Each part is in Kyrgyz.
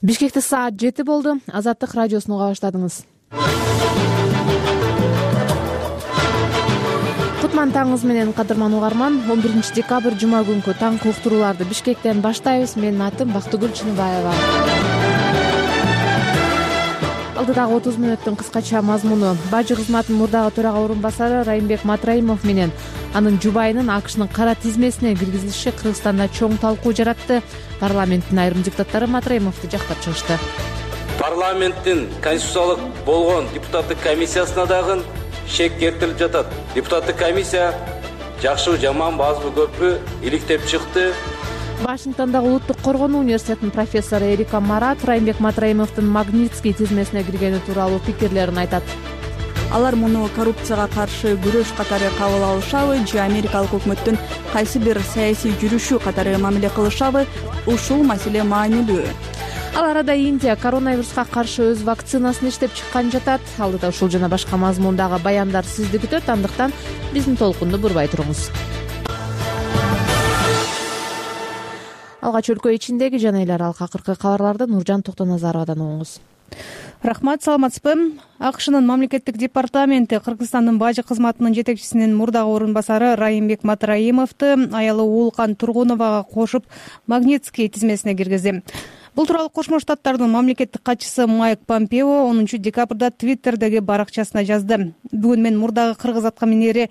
Бишкекте саат 7 болду. Азаттык радиосун уга баштадыңыз. Кутман таңыңыз менен, кадырман угарман. 11 декабрь жума күнкү таңкы уктурууларды Бишкектен баштайбыз. Менин атым Бактыгүл Чыныбаева. Алдыдагы 30 мүнөттүн кыскача мазмуну. Бажы кызматынын мурдагы төрага орун басары Райымбек Матраимов менен анын жубайынын АКШнын кара тизмесине киргизилиши Кыргызстанда чоң талкуу жаратты. Парламенттин айрым депутаттары Матраимовду жактап чыгышты. Парламенттин конституциялык болгон депутаттык комиссиясына дагы шек келтирип жатат. Депутаттык комиссия жакшыбы, жаманбы, азбы, көппү иликтеп чыкты. Вашингтондагы Улуттук коргонуу университетинин профессору Эрика Марат Райымбек Матраимовдун Магнитский тизмесине киргени тууралуу пикирлерин айтат. Алар муну коррупцияга каршы күрөш катары кабыл алышабы же америкалык өкмөттүн кайсы бир саясий жүрүшү катары мамиле кылышабы, ушул маселе маанилүү. Ал арада Индия коронавируска каршы өз вакцинасын иштеп чыккан жатат. Алдыда ушул жана башка мазмундагы баяндар сизди күтөт, андыктан биздин толкунду бурбай туруңуз. Алгач өлкө ичиндеги жана эл аралык акыркы кабарларды Нуржан Токтоназаровадан угуңуз. Рахмат, саламатсызбы? АКШнын мамлекеттик департаменти Кыргызстандын бажы кызматынын жетекчисинин мурдагы орун басары Райымбек Матраимовду аялы Уулкан Тургуновага кошуп Магнитский тизмесине киргизди. Бул тууралуу Кошмо Штаттардын мамлекеттик катчысы Майк Помпео 10 декабрда Твиттердеги баракчасына жазды. Бүгүн мен мурдагы кыргыз аткаминери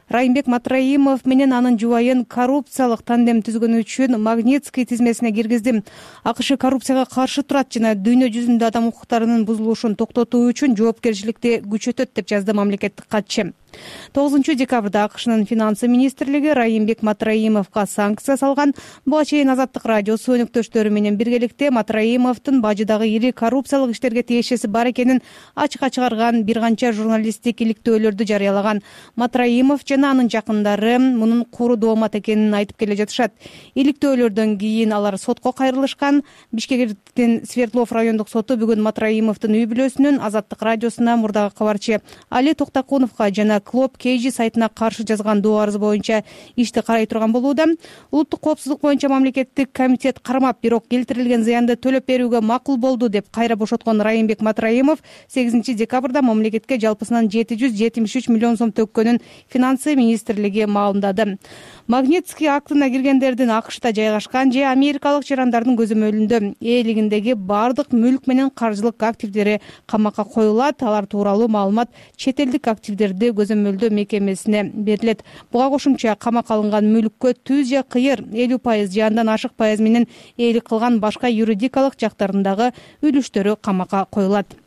Райымбек Матраимов менен анын жубайын коррупциялык тандем түзгөнү үчүн Магнитский тизмесине киргиздим. АКШ коррупцияга каршы турат жана дүйнө жүзүндө адам укуктарынын бузулушун токтотуу үчүн жоопкерчиликти күчөтөт деп жазды мамлекеттик катчы. 9 декабрда АКШнын финансы министрлиги Райымбек Матраимовго санкция салган. Буга чейин Азаттык радиосу өнөктөштөрү менен биргеликте Матраимовдун бажыдагы ири коррупциялык иштерге тиешеси бар экенин ачыкка чыгарган бир канча журналисттик иликтөөлөрдү жарыялаган. Матраимов жана анын жакындары мунун куру доомат экенин айтып келе жатышат. Иликтөөлөрдөн кийин алар сотко кайрылышкан. Бишкектин Свердлов райондук соту бүгүн Матраимовдун үй бүлөсүнүн Азаттык радиосуна мурдагы кабарчы Али Токтакуновго жана Клоп Кейжи сайтына каршы жазган доо арыз боюнча ишти карай турган болууда. Улуттук коопсуздук боюнча мамлекеттик комитет кармап, бирок келтирилген зыянды төлөп берүүгө макул болду деп кайра бошоткон Райымбек Матраимов 8 декабрда мамлекетке жалпысынан 773 миллион сом төккөнүн финансы министрлиги маалымдады. Магнитский актына киргендердин АКШта жайгашкан же америкалык жарандардын көзөмөлүндө ээлигиндеги бардык мүлк менен каржылык активдери камакка коюлат. Алар тууралуу маалымат чет элдик активдерди көзөмөлдөө мекемесине берилет. Буга кошумча камакка алынган мүлккө түз же кыйыр 50% же андан ашык пайыз менен ээлик кылган башка юридикалык жактарындагы үлүштөрү камакка коюлат.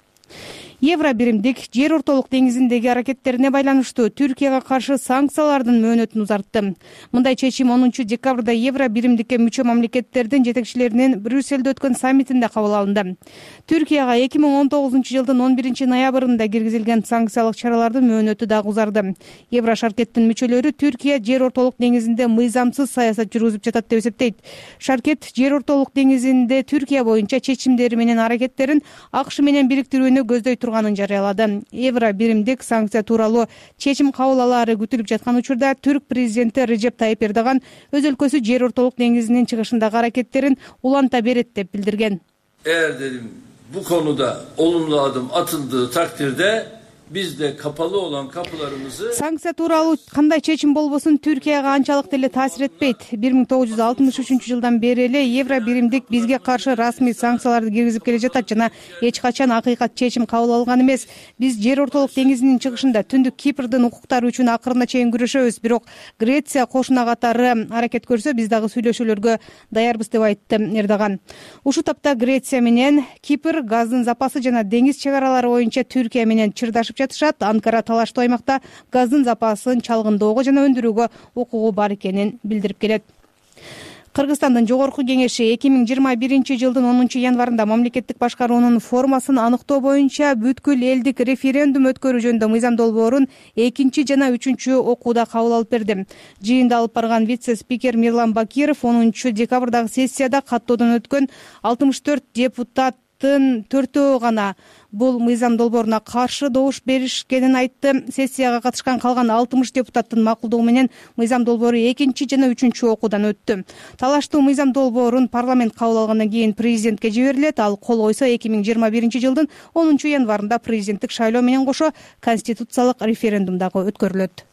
Евро биримдик жер ортолук деңизиндеги аракеттерине байланыштуу Түркияга каршы санкциялардын мөөнөтүн узартты. Мындай чечим 10 декабрда Евро биримдикке мүчө мамлекеттердин жетекчилеринин Брюссельде өткөн саммитинде кабыл алынды. Түркияга 2019 жылдын 11 ноябрында киргизилген санкциялык чаралардын мөөнөтү дагы узарды. Евро шаркеттин мүчөлөрү Түркия жер ортолук деңизинде мыйзамсыз саясат жүргүзүп жатат деп эсептейт. Шаркет жер ортолук деңизинде Түркия боюнча чечимдери менен аракеттерин АКШ менен бириктирүүнү көздөй турганын жарыялады. Евро биримдик санкция тууралуу чечим кабыл алаары күтүлүп жаткан учурда Түрк президенти Режеп Тайып Эрдоган өз өлкөсү жер ортолук деңизинин чыгышындагы аракеттерин уланта берет деп билдирген. Bu konuda olumlu adım atıldığı takdirde biz de kapalı olan kapılarımızı Санкция тууралуу кандай чечим болбосун Түркияга анчалык деле таасир этпейт. 1963 жылдан бери эле евро биримдик бизге каршы расмий санкцияларды киргизип келе жатат жана эч качан акыйкат чечим кабыл алган эмес. Биз жер ортолук деңизинин чыгышында түндүк Кипрдин укуктары үчүн акырына чейин күрөшөбүз, бирок Греция кошуна катары аракет көрсө биз дагы сүйлөшүүлөргө даярбыз деп айтты Эрдоган. Ушул тапта Греция менен Кипр газдын запасы жана деңиз чек аралары боюнча Түркия менен чырдашып жатышат. Анкара талаштуу аймакта газдын запасын чалгындоого жана өндүрүүгө укугу бар экенин билдирип келет. Кыргызстандын жогорку кеңеши 2021 жылдын 10 январында мамлекеттик башкаруунун формасын аныктоо боюнча бүткүл элдик референдум өткөрүү жөнүндө мыйзам долбоорун 2 жана 3 окууда кабыл алып берди. Жыйында алып барган вице-спикер Мирлан Бакиров 10 декабрдагы сессияда каттоодон өткөн 64 депутат депутаттын 4-өө гана бул мыйзам долбооруна каршы добуш беришкенин айтты. Сессияга катышкан калган 60 депутаттын макулдугу менен мыйзам долбоору 2 жана 3 окуудан өттү. Талаштуу мыйзам долбоорун парламент кабыл алгандан кийин президентке жиберилет. Ал кол койсо 2021 жылдын 10 январында президенттик шайлоо менен кошо конституциялык референдум дагы өткөрүлөт.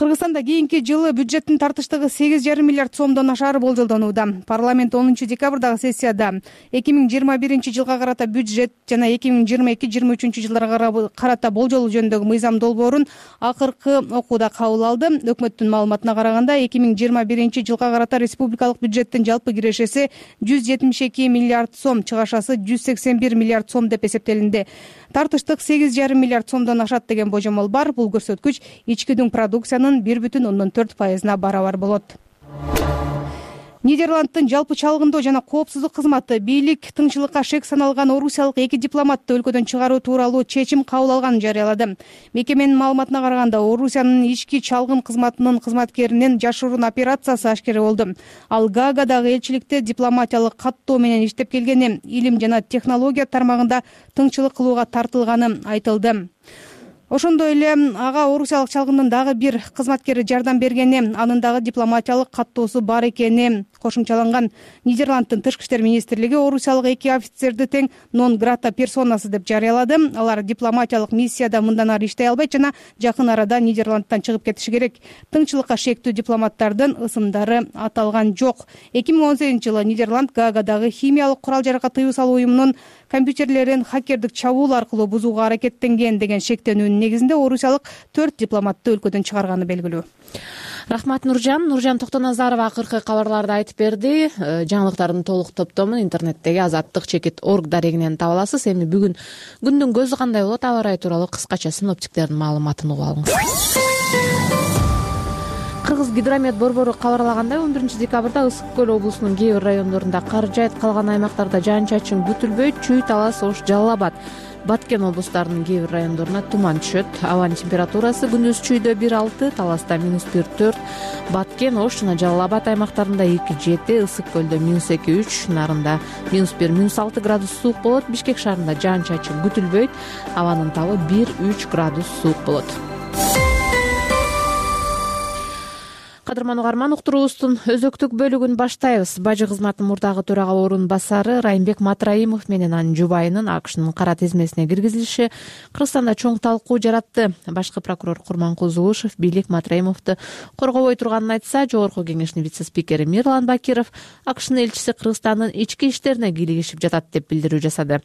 Кыргызстанда кийинки жылы бюджеттин тартыштыгы 8,5 миллиард сомдон ашары болжолдонууда. Парламент 10 декабрдагы сессияда 2021 жылга карата бюджет жана 2022-2023 жылдарга карата болжол жөнүндөгү мыйзам долбоорун акыркы окууда кабыл алды. Өкмөттүн маалыматына караганда 2021 жылга карата республикалык бюджеттин жалпы кирешеси 172 миллиард сом, чыгашасы 181 миллиард сом деп эсептелинди. Тартыштык 8,5 миллиард сомдон ашат деген божомол бар. Бул көрсөткүч ички дүң продукциянын 1,4% барабар болот. Нидерландтын жалпы чалгындоо жана коопсуздук кызматы бийлик тыңчылыкка шек саналган орусиялык 2 дипломатты өлкөдөн чыгаруу тууралуу чечим кабыл алганын жарыялады. Мекеменин маалыматына караганда, Орусиянын ички чалгын кызматынын кызматкеринин жашыруун операциясы ашкера болду. Ал Гаагадагы элчиликте дипломатиялык каттоо менен иштеп келгени, илим жана технология тармагында тыңчылык кылууга тартылганы айтылды. Ошондой эле ага орусиялык чалгындын дагы бир кызматкери жардам бергени, анын дагы дипломатиялык каттоосу бар экени кошумчаланган. Нидерландтын тышкы иштер министрлиги орусиялык 2 офицерди тең нон грата персонасы деп жарыялады. Алар дипломатиялык миссияда мындан ары иштей албайт жана жакын арада Нидерландтан чыгып кетиши керек. Тыңчылыкка шектүү дипломаттардын ысымдары аталган жок. 2018 жылы Нидерланд Гаагадагы химиялык курал-жаракка тыюу салуу уюмунун компьютерлерин хакердик чабуул аркылуу бузууга аракеттенген деген шектенүүнүн негизинде орусиялык 4 дипломатты өлкөдөн чыгарганы белгилүү. Рахмат Нуржан Токтоназарова акыркы кабарларды айтып берди. Жаңылыктардын толук топтомун интернеттеги azаттык.org дарегинен таба аласыз. Эми бүгүн күндүн көзү кандай болот, аба ырайы тууралуу кыскача синоптиктердин маалыматын угуп алыңыз. Кыргыз гидромет борбору кабарлагандай, 11 декабрда Ысык көл облусунун кээ бир райондорунда кар жаайт, калган аймактарда жаан-чачын күтүлбөйт. Чүй, Талас, Ош, Жалал Абад, Баткен облустарынын кээ бир райондоруна туман түшөт. Абанын температурасы күндүз Чүйдө 1,6, Таласта -1,4, Баткен, Ош жана Жалал Абад аймактарында 2,7, Ысык көлдө -2,3, Нарында -1, -6 градус суук болот. Бишкек шаарында жаан-чачын күтүлбөйт. Абанын табы 1,3 градус суук болот. Кадырман угарман, уктуруубуздун өзөктүк бөлүгүн баштайбыз. Бажы кызматынын мурдагы төрага орун басары Райымбек Матраимов менен анын жубайынын АКШнын кара тизмесине киргизилиши Кыргызстанда чоң талкуу жаратты. Башкы прокурор Курманкул Зулушев бийлик Матраимовду коргобой турганын айтса, Жогорку кеңештин вице-спикери Мирлан Бакиров АКШнын элчиси Кыргызстандын ички иштерине кийлигишип жатат деп билдирүү жасады.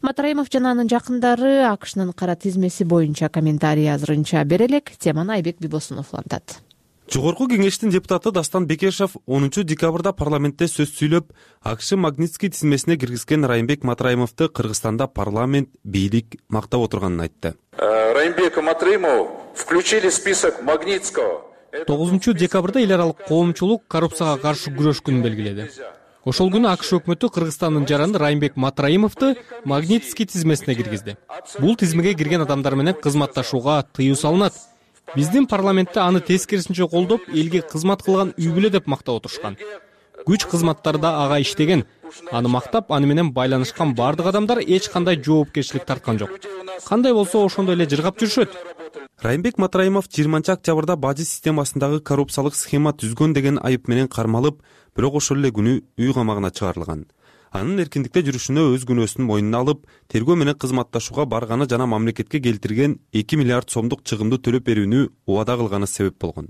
Матраимов жана анын жакындары АКШнын кара тизмеси боюнча комментарий азырынча бере элек. Теманы Айбек Бибосунов улантат. Жогорку кеңештин депутаты Дастан Бекешев 10 декабрда парламентте сөз сүйлөп, АКШ Магнитский тизмесине киргизген Райымбек Матраимовду Кыргызстанда парламент, бийлик мактап отурганын айтты. Райымбека Матраимова включили в список Магнитского. 9 декабрда эл аралык коомчулук коррупцияга каршы күрөш күнүн белгиледи. Ошол күнү АКШ өкмөтү Кыргызстандын жараны Райымбек Матраимовду Магнитский тизмесине киргизди. Бул тизмеге кирген адамдар менен кызматташууга тыюу салынат. Биздин парламентте аны тескерисинче колдоп, элге кызмат кылган үй бүлө деп мактап отурушкан. Күч кызматтарда ага иштеген, аны мактап, аны менен байланышкан бардык адамдар эч кандай жоопкерчилик тарткан жок. Кандай болсо ошондой эле жыргап жүрүшөт. Райымбек Матраимов 20 октябрда бажы системасындагы коррупциялык схема түзгөн деген айып менен кармалып, бирок ошол эле күнү үй камагына чыгарылган. Анын эркиндикте жүрүшүнө өз күнөөсүн мойнуна алып, тергөө менен кызматташууга барганы жана мамлекетке келтирген 2 миллиард сомдук чыгымды төлөп берүүнү убада кылганы себеп болгон.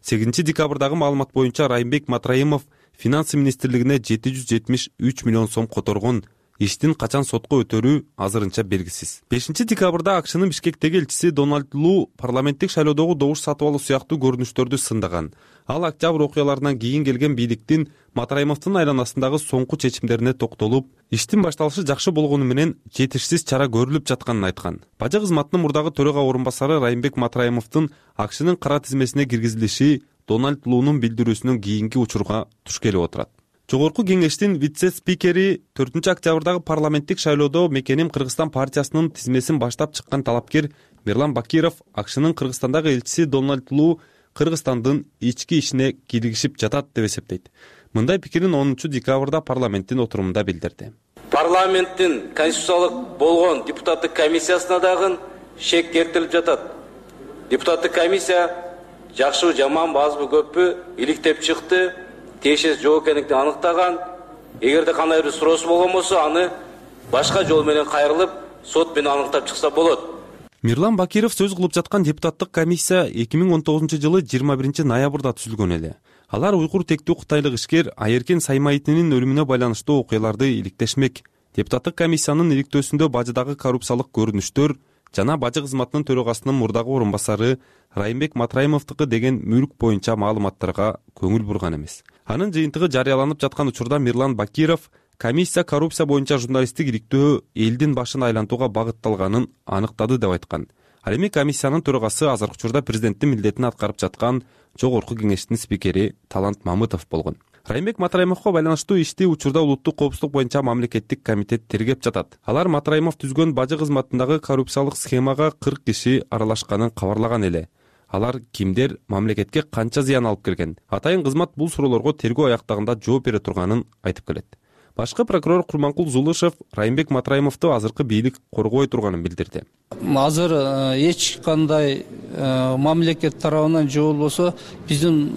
8 декабрдагы маалымат боюнча Райымбек Матраимов Финансы министрлигине 773 миллион сом которгон. Иштин качан сотко өтөрүү азырынча белгисиз. 5 декабрда АКШнын Бишкектеги элчиси Дональд Лу парламенттик шайлоодогу добуш сатып алуу сыяктуу көрүнүштөрдү сындаган. Ал октябрь окуяларынан кийин келген бийликтин Матраимовдун айланасындагы соңку чечимдерине токтолуп, иштин башталышы жакшы болгону менен жетишсиз чара көрүлүп жатканын айткан. Бажы кызматынын мурдагы төрага орун басары Райымбек Матраимовдун АКШнын кара тизмесине киргизилиши Дональд Лунун билдирүүсүнөн кийинки учурга туш келип отурат. Жогорку кеңештин вице-спикери 4 октябрдагы парламенттик шайлоодо Мекеним Кыргызстан партиясынын тизмесин баштап чыккан талапкер Мирлан Бакиров АКШнын Кыргызстандагы элчиси Дональд Лу Кыргызстандын ички ишине кийлигишип жатат деп эсептейт. Мындай пикирин 10 декабрда парламенттин отурумунда билдирди. парламенттин конституциялык болгон депутаттык комиссиясына дагы шек келтирилип жатат. Депутаттык комиссия жакшыбы жаман азбы көппү иликтеп чыкты, тиешеси жок экендигин аныктаган. Эгерде кандай бир суроосу болгон болсо, аны башка жол менен кайрылып, сот менен аныктап чыкса болот. Мирлан Бакиров сөз кылып жаткан депутаттык комиссия 2019-жылы 21-ноябрда түзүлгөн эле. Алар уйгур тектүү кытайлык ишкер Айеркен Саймаитинин өлүмүнө байланыштуу окуяларды иликтешмек. Депутаттык комиссиянын иликтөөсүндө бажыдагы коррупциялык көрүнүштөр жана бажы кызматынын төрагасынын мурдагы орун басары Райымбек Матраимовдуку деген мүлк боюнча маалыматтарга көңүл бурган эмес. Анын жыйынтыгы жарыяланып жаткан учурда Мирлан Бакиров комиссия коррупция боюнча журналисттик иликтөө элдин башын айлантууга багытталганын аныктады деп айткан. Ал эми комиссиянын төрагасы азыркы учурда президенттин милдетин аткарып жаткан Жогорку кеңештин спикери Талант Мамытов болгон. Райымбек Матраимовго байланыштуу ишти учурда улуттук коопсуздук боюнча мамлекеттик комитет тергеп жатат. Алар Матраимов түзгөн бажы кызматындагы коррупциялык схемага 40 киши аралашканын кабарлаган эле. Алар кимдер, мамлекетке канча зыян алып келген? Атайын кызмат бул суроолорго тергөө аяктагында жооп бере турганын айтып келет. Башкы прокурор Курманкул Зулышев Райымбек Матраимовду азыркы бийлик коргобой турганын билдирди. Азыр эч кандай мамлекет тарабынан же болбосо биздин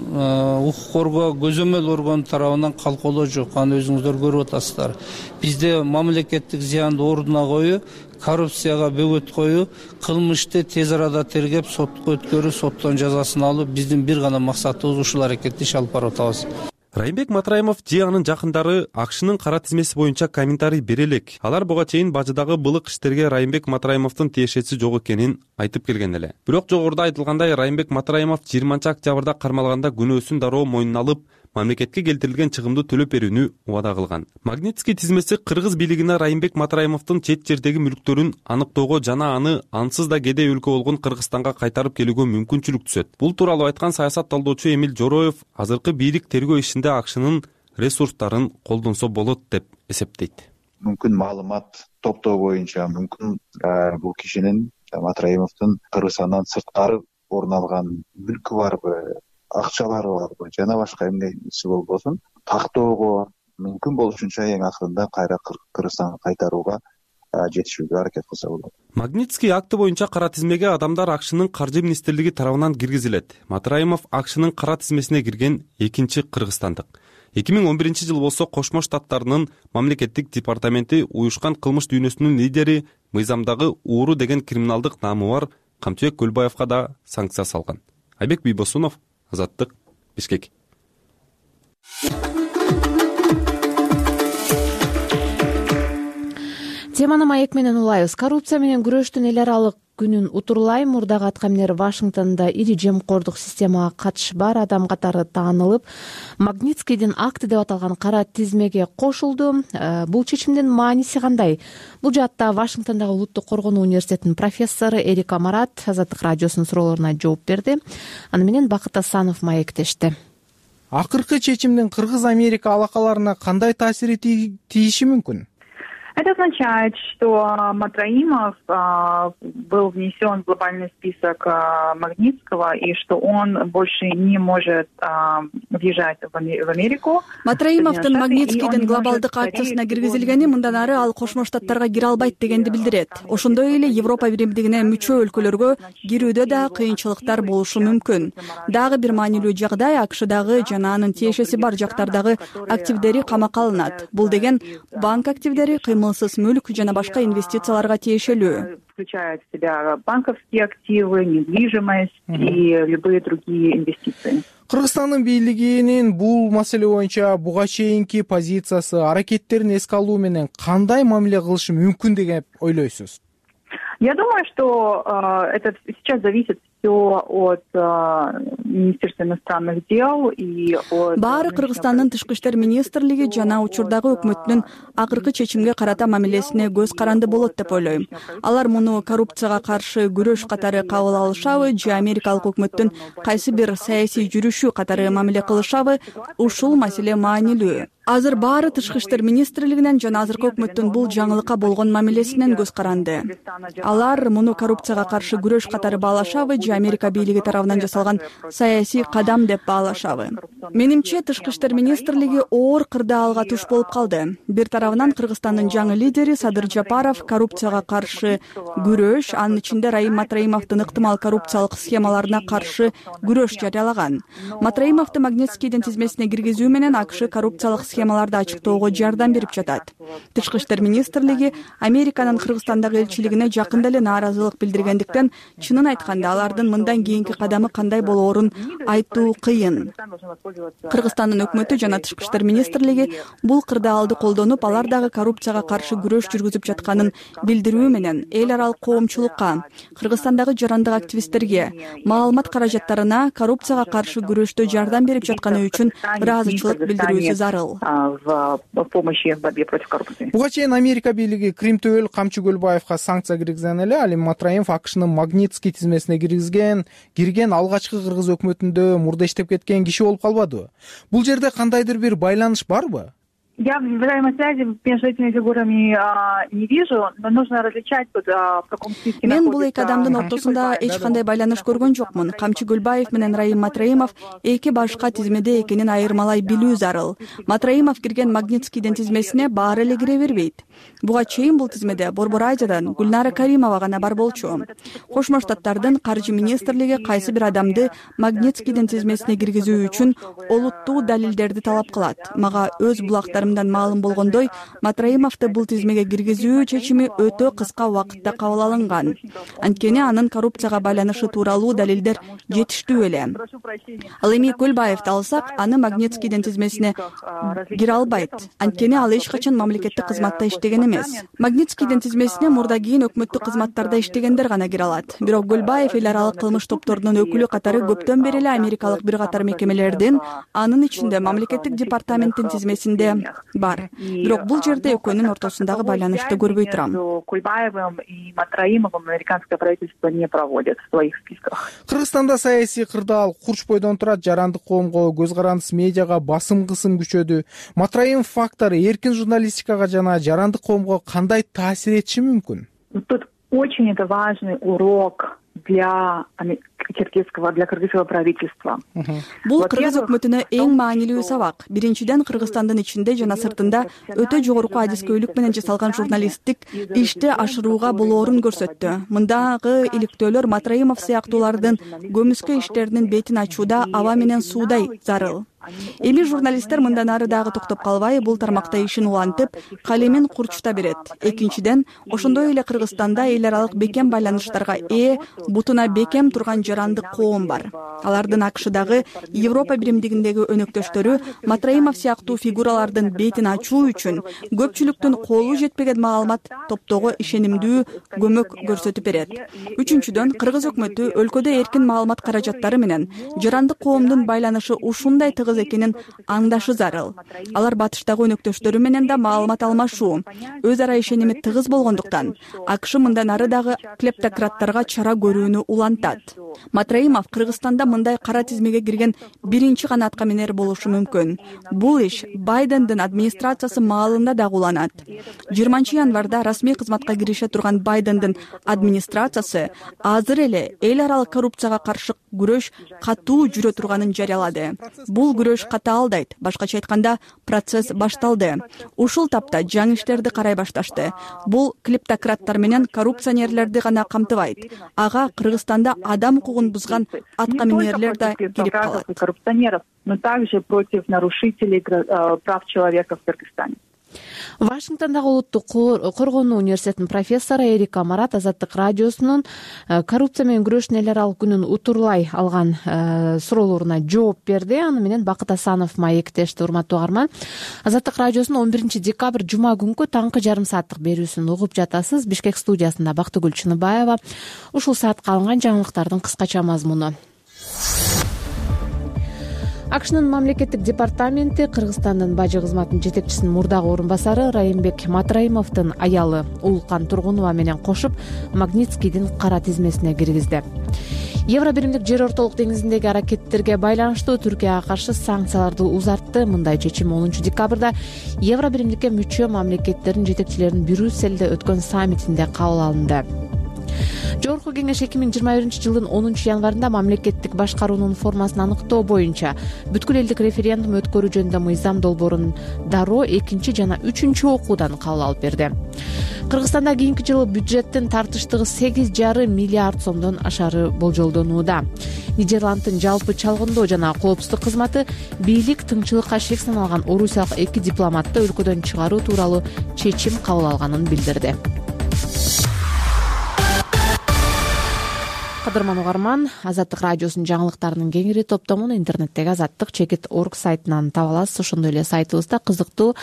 укук коргоо көзөмөл орган тарабынан калкоолоо жок. Аны өзүңүздөр көрүп атасыздар. Бизде мамлекеттик зыянды ордуна коюу, коррупцияга бөгөт коюу, кылмышты тез арада тергеп сотко өткөрүү, соттон жазасын алуу биздин бир гана максатыбыз. Ушул аракетти иш алып барып атабыз. Райымбек Матраимов же анын жакындары акшнын кара тизмеси боюнча комментарий бере элек. Алар буга чейин бажыдагы былык иштерге Райымбек Матраимовдун тиешеси жок экенин айтып келген эле. Бирок жогоруда айтылгандай Райымбек Матраимов 20-октябрда кармалганда күнөөсүн дароо мойнуна алып, мамлекетке келтирилген чыгымды төлөп берүүнү убада кылган. Магнитский тизмеси кыргыз бийлигине Райымбек Матраимовдун чет жердеги мүлктөрүн аныктоого жана аны ансыз да кедей өлкө болгон Кыргызстанга кайтарып келүүгө мүмкүнчүлүк түзөт. Бул тууралуу айткан саясат талдоочу Эмил Жороев азыркы бийлик тергөө ишинде акшнын ресурстарын колдонсо болот деп эсептейт. Мүмкүн маалымат топтоо боюнча мүмкүн бул кишинин Матраимовдун Кыргызстандан сырткары орун алган мүлкү барбы, акчалары барбы, жана башка эмнеси болбосун тактоого мүмкүн болушунча эң акырында кайра Кыргызстанга кайтарууга жетишүүгө аракет кылса болот. Магнитский акты боюнча кара тизмеге адамдар акшнын каржы министрлиги тарабынан киргизилет. Матраимов акшнын кара тизмесине кирген экинчи кыргызстандык. 2011-жылы болсо Кошмо Штаттарынын мамлекеттик департаменти уюшкан кылмыш дүйнөсүнүн лидери мыйзамдагы ууру деген криминалдык наамы бар Камчыбек Көлбаевга да санкция салган. Айбек Бийбосунов, Азаттык, Бишкек. Теманы маек менен улайбыз. Коррупция менен күрөштүн эл аралык күнүн утурлай мурдагы аткаминер Вашингтондо ири жемкордук системага катышы бар адам катары таанылып, Магнитскийдин акты деп аталган кара тизмеге кошулду. Бул чечимдин мааниси кандай? Бул жаатта Вашингтондогу Улуттук коргонуу университетинин профессору Эрика Марат Азаттык радиосунун суроолоруна жооп берди. Аны менен Бакыт Асанов маектешти. Акыркы чечимдин Кыргыз-Америка алакаларына кандай таасири тийиши мүмкүн? Это означает, что Матраимов был внесен в глобальный список Магнитского и что он больше не может въезжать в Америку. Матраимовдун Магнитскийдин глобалдык акциясына киргизилгени мындан ары ал Кошмо Штаттарга кире албайт дегенди билдирет. Ошондой эле Европа биримдигине мүчө өлкөлөргө кирүүдө да кыйынчылыктар болушу мүмкүн. Дагы бир маанилүү жагдай АКШдагы жана анын тиешеси бар жактардагы активдери камакка алынат. Бул деген банк активдери, кыймылсыз мүлк жана башка инвестицияларга тиешелүү. Включает в себя банковские активы, недвижимость и любые другие инвестиции. Кыргызстандын бийлигинин бул маселе боюнча буга чейинки позициясы, аракеттерин эске алуу менен кандай мамиле кылышы мүмкүн деп ойлойсуз? Я думаю, что это сейчас зависит все от Министерства иностранных дел и от... Баары Кыргызстандын тышкы иштер министрлиги жана учурдагы өкмөттүн акыркы чечимге карата мамилесине көз каранды болот деп ойлойм. Алар муну коррупцияга каршы күрөш катары кабыл алышабы же Америкалык өкмөттүн кайсы бир саясий жүрүшү катары мамиле кылышабы, ушул маселе маанилүү. Азыр баары тышкы иштер министрлигинен жана азыркы өкмөттүн бул жаңылыкка болгон мамилесинен көз каранды. Алар муну коррупцияга каршы күрөш катары баалашабы же Америка бийлиги тарабынан жасалган саясий кадам деп баалашабы. Менимче Тышкы иштер министрлиги оор кырдаалга туш болуп калды. Бир тарабынан Кыргызстандын жаңы лидери Садыр Жапаров коррупцияга каршы күрөш, анын ичинде Раим Матраимовдун ыктымал коррупциялык схемаларына каршы күрөш жарыялаган. Матраимовду Магнитскийдин тизмесине киргизүү менен АКШ коррупциялык схемаларды ачыктоого жардам берип жатат. Тышкы иштер министрлиги Американын Кыргызстандагы элчилигине жакында эле нааразылык билдиргендиктен, чынын айтканда алардын мындан кийинки кадамы кандай болоорун айтуу кыйын. Кыргызстандын өкмөтү жана Тышкы иштер министрлиги бул кырдаалды колдонуп, алар дагы коррупцияга каршы күрөш жүргүзүп жатканын билдирүү менен эл аралык коомчулукка, Кыргызстандагы жарандык активисттерге, маалымат каражаттарына коррупцияга каршы күрөштө жардам берип жатканы үчүн ыраазычылык билдирүүсү зарыл. Буга чейин Америка бийлиги Крим Төбөл Камчы Көлбаевга санкция киргизген эле. Ал эми Матраимов АКШнын Магнитский тизмесине кирген алгачкы кыргыз өкмөтүндө мурда иштеп кеткен киши болуп калбадыбы? Бул жерде кандайдыр бир байланыш барбы? Я взаимосвязи между этими фигурами не вижу, но нужно различать в каком списке. Мен бул эки адамдын ортосунда эч кандай байланыш көргөн жокмун. Камчы Көлбаев менен Раим Матраимов эки башка тизмеде экенин айырмалай билүү зарыл. Матраимов кирген Магнитскийдин тизмесине баары эле кире бербейт. Буга чейин бул тизмеде Борбор Айжадан Гүлнара Каримова гана бар болчу. Кошмо Штаттардын каржы министрлиги кайсы бир адамды Магнитскийдин тизмесине киргизүү үчүн олуттуу далилдерди талап кылат. Мага өз булактарым маалым болгондой, Матраимовду бул тизмеге киргизүү чечими өтө кыска убакытта кабыл алынган. Анткени анын коррупцияга байланышы тууралуу далилдер жетиштүү эле. Ал эми Көлбаевди алсак, аны Магнитскийдин тизмесине кире албайт. Анткени ал эч качан мамлекеттик кызматта иштеген эмес. Магнитскийдин тизмесине мурда кийин өкмөттүк кызматтарда иштегендер гана кире алат. Бирок Көлбаев эл аралык кылмыш топторунун өкүлү катары көптөн бери эле америкалык бир катар мекемелердин, анын ичинде мамлекеттик департаменттин тизмесинде бар. Бирок бул жерде экөөнүн ортосундагы байланышты көрбөй турам. Кульбаевым и Матраимовым американское правительство не проводит в своих списках. Кыргызстанда саясий кырдаал курч бойдон турат, жарандык коомго, көз карандыс медиага басым кысым күчөдү. Матраимов фактору эркин журналистикага жана жарандык коомго кандай таасир этиши мүмкүн? Тут очень это важный урок для кыргызского правительства. Бул кыргыз өкмөтүнө эң маанилүү сабак. Биринчиден, Кыргызстандын ичинде жана сыртында өтө жогорку адискөйлүк менен жасалган журналисттик ишти ашырууга болоорун көрсөттү. Мындагы иликтөөлөр Матраимов сыяктуулардын көмүскө иштеринин бетин ачууда аба менен суудай зарыл. Эми журналисттер мындан ары дагы токтоп калбай, бул тармакта ишин улантып, калемин курчута берет. Экинчиден, ошондой эле Кыргызстанда эл аралык бекем байланыштарга бутуна бекем турган жарандык коом бар. Алардын АКШдагы Европа биримдигиндеги өнөктөштөрү Матраимов сыяктуу фигуралардын бетин ачуу үчүн көпчүлүктүн колу жетпеген маалымат топтоого ишенимдүү көмөк көрсөтүп берет. Үчүнчүдөн, кыргыз өкмөтү өлкөдө эркин маалымат каражаттары менен жарандык коомдун байланышы ушундай тыгыз экенин аңдашы зарыл. Алар батыштагы өнөктөштөрү менен да маалымат алмашуу, өз ара ишеними тыгыз болгондуктан, АКШ мындан ары дагы клептократтарга чара көрүүнү улантат. Матраимов Кыргызстанда мындай кара тизмеге кирген биринчи гана аткаминер болушу мүмкүн. Бул иш Байдендин администрациясы маалында дагы уланат. 20 январда расмий кызматка кирише турган Байдендин администрациясы азыр эле эл аралык коррупцияга каршы күрөш катуу жүрө турганын жарыялады. Бул күрөш катаалдайт. Башкача айтканда, процесс башталды. Ушул тапта жаңы иштерди карай башташты. Бул клептократтар менен коррупционерлерди гана камтыбайт. Ага Кыргызстанда адам укугун бузган аткаминерлер да кирип калат. Коррупционеров, но также против нарушителей прав человека в Кыргызстане. Вашингтондагы Улуттук коргонуу университетинин профессору Эрика Марат Азаттык радиосунун коррупция менен күрөштүн эл аралык күнүн утурлай алган суроолоруна жооп берди. Аны менен Бакыт Асанов маектешти. Урматтуу угарман, Азаттык радиосунун 11 декабрь жума күнкү таңкы жарым сааттык берүүсүн угуп жатасыз. Бишкек студиясында Бактыгүл Чыныбаева. Ушул саатка алынган жаңылыктардын кыскача мазмуну. АКШнын мамлекеттик департаменти Кыргызстандын бажы кызматынын жетекчисинин мурдагы орун басары Райымбек Матраимовдун аялы Уулкан Тургунова менен кошуп Магнитскийдин кара тизмесине киргизди. Евро биримдик жер ортолук деңизиндеги аракеттерге байланыштуу Түркияга каршы санкцияларды узартты. Мындай чечим 10 декабрда Евро биримдикке мүчө мамлекеттердин жетекчилеринин Брюссельде өткөн саммитинде кабыл алынды. Жогорку кеңеш 2021-жылдын 10-январында мамлекеттик башкаруунун формасын аныктоо боюнча бүткүл элдик референдум өткөрүү жөнүндө мыйзам долбоорун дароо 2 жана 3 окуудан кабыл алып берди. Кыргызстанда кийинки жылы бюджеттин тартыштыгы 8,5 миллиард сомдон ашары болжолдонууда. Нидерланддын жалпы чалгындоо жана коопсуздук кызматы бийлик тыңчылыкка шек саналган орусиялык 2 дипломатты өлкөдөн чыгаруу тууралуу чечим кабыл алганын билдирди. Кадырман угарман, Азаттык радиосунун жаңылыктарынын кеңири топтомун интернеттеги azattik.org сайтынан таба аласыз. Ошондой эле сайтыбызда кызыктуу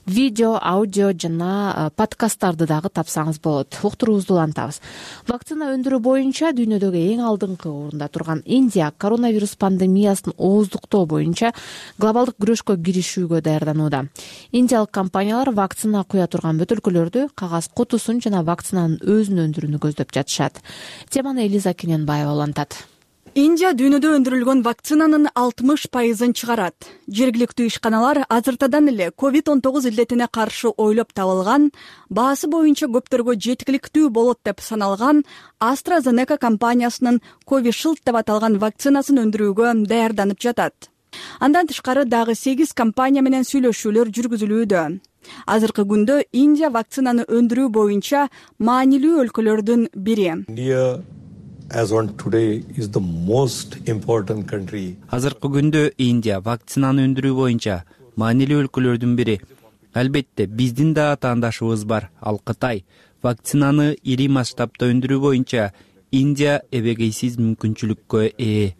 видео, аудио жана подкасттарды дагы тапсаңыз болот. Уктуруубузду улантабыз. Вакцина өндүрүү боюнча дүйнөдөгү эң алдыңкы орунда турган Индия коронавирус пандемиясын ооздуктоо боюнча глобалдык күрөшкө киришүүгө даярданууда. Индиялык компаниялар вакцина куя турган бөтөлкөлөрдү, кагаз кутусун жана вакцинанын өзүн өндүрүүнү көздөп жатышат. Теманы Элиза Кененбаева улантат. Индия дүйнөдө өндүрүлгөн вакцинанын 60% чыгарат. Жергиликтүү ишканалар азыртадан эле COVID-19 илдетине каршы ойлоп табылган, баасы боюнча көптөргө жеткиликтүү болот деп саналган AstraZeneca компаниясынын Covishield деп аталган вакцинасын өндүрүүгө даярданып жатат. Андан тышкары дагы 8 компания менен сүйлөшүүлөр жүргүзүлүүдө. Азыркы күндө Индия вакцинаны өндүрүү боюнча маанилүү өлкөлөрдүн бири. Азыркы күндө Индия вакцинаны өндүрүү боюнча маанилүү өлкөлөрдүн бири. Албетте, биздин да атаандашыбыз бар, ал Кытай. Вакцинаны ири масштабта өндүрүү боюнча Индия эбегейсиз мүмкүнчүлүккө ээ.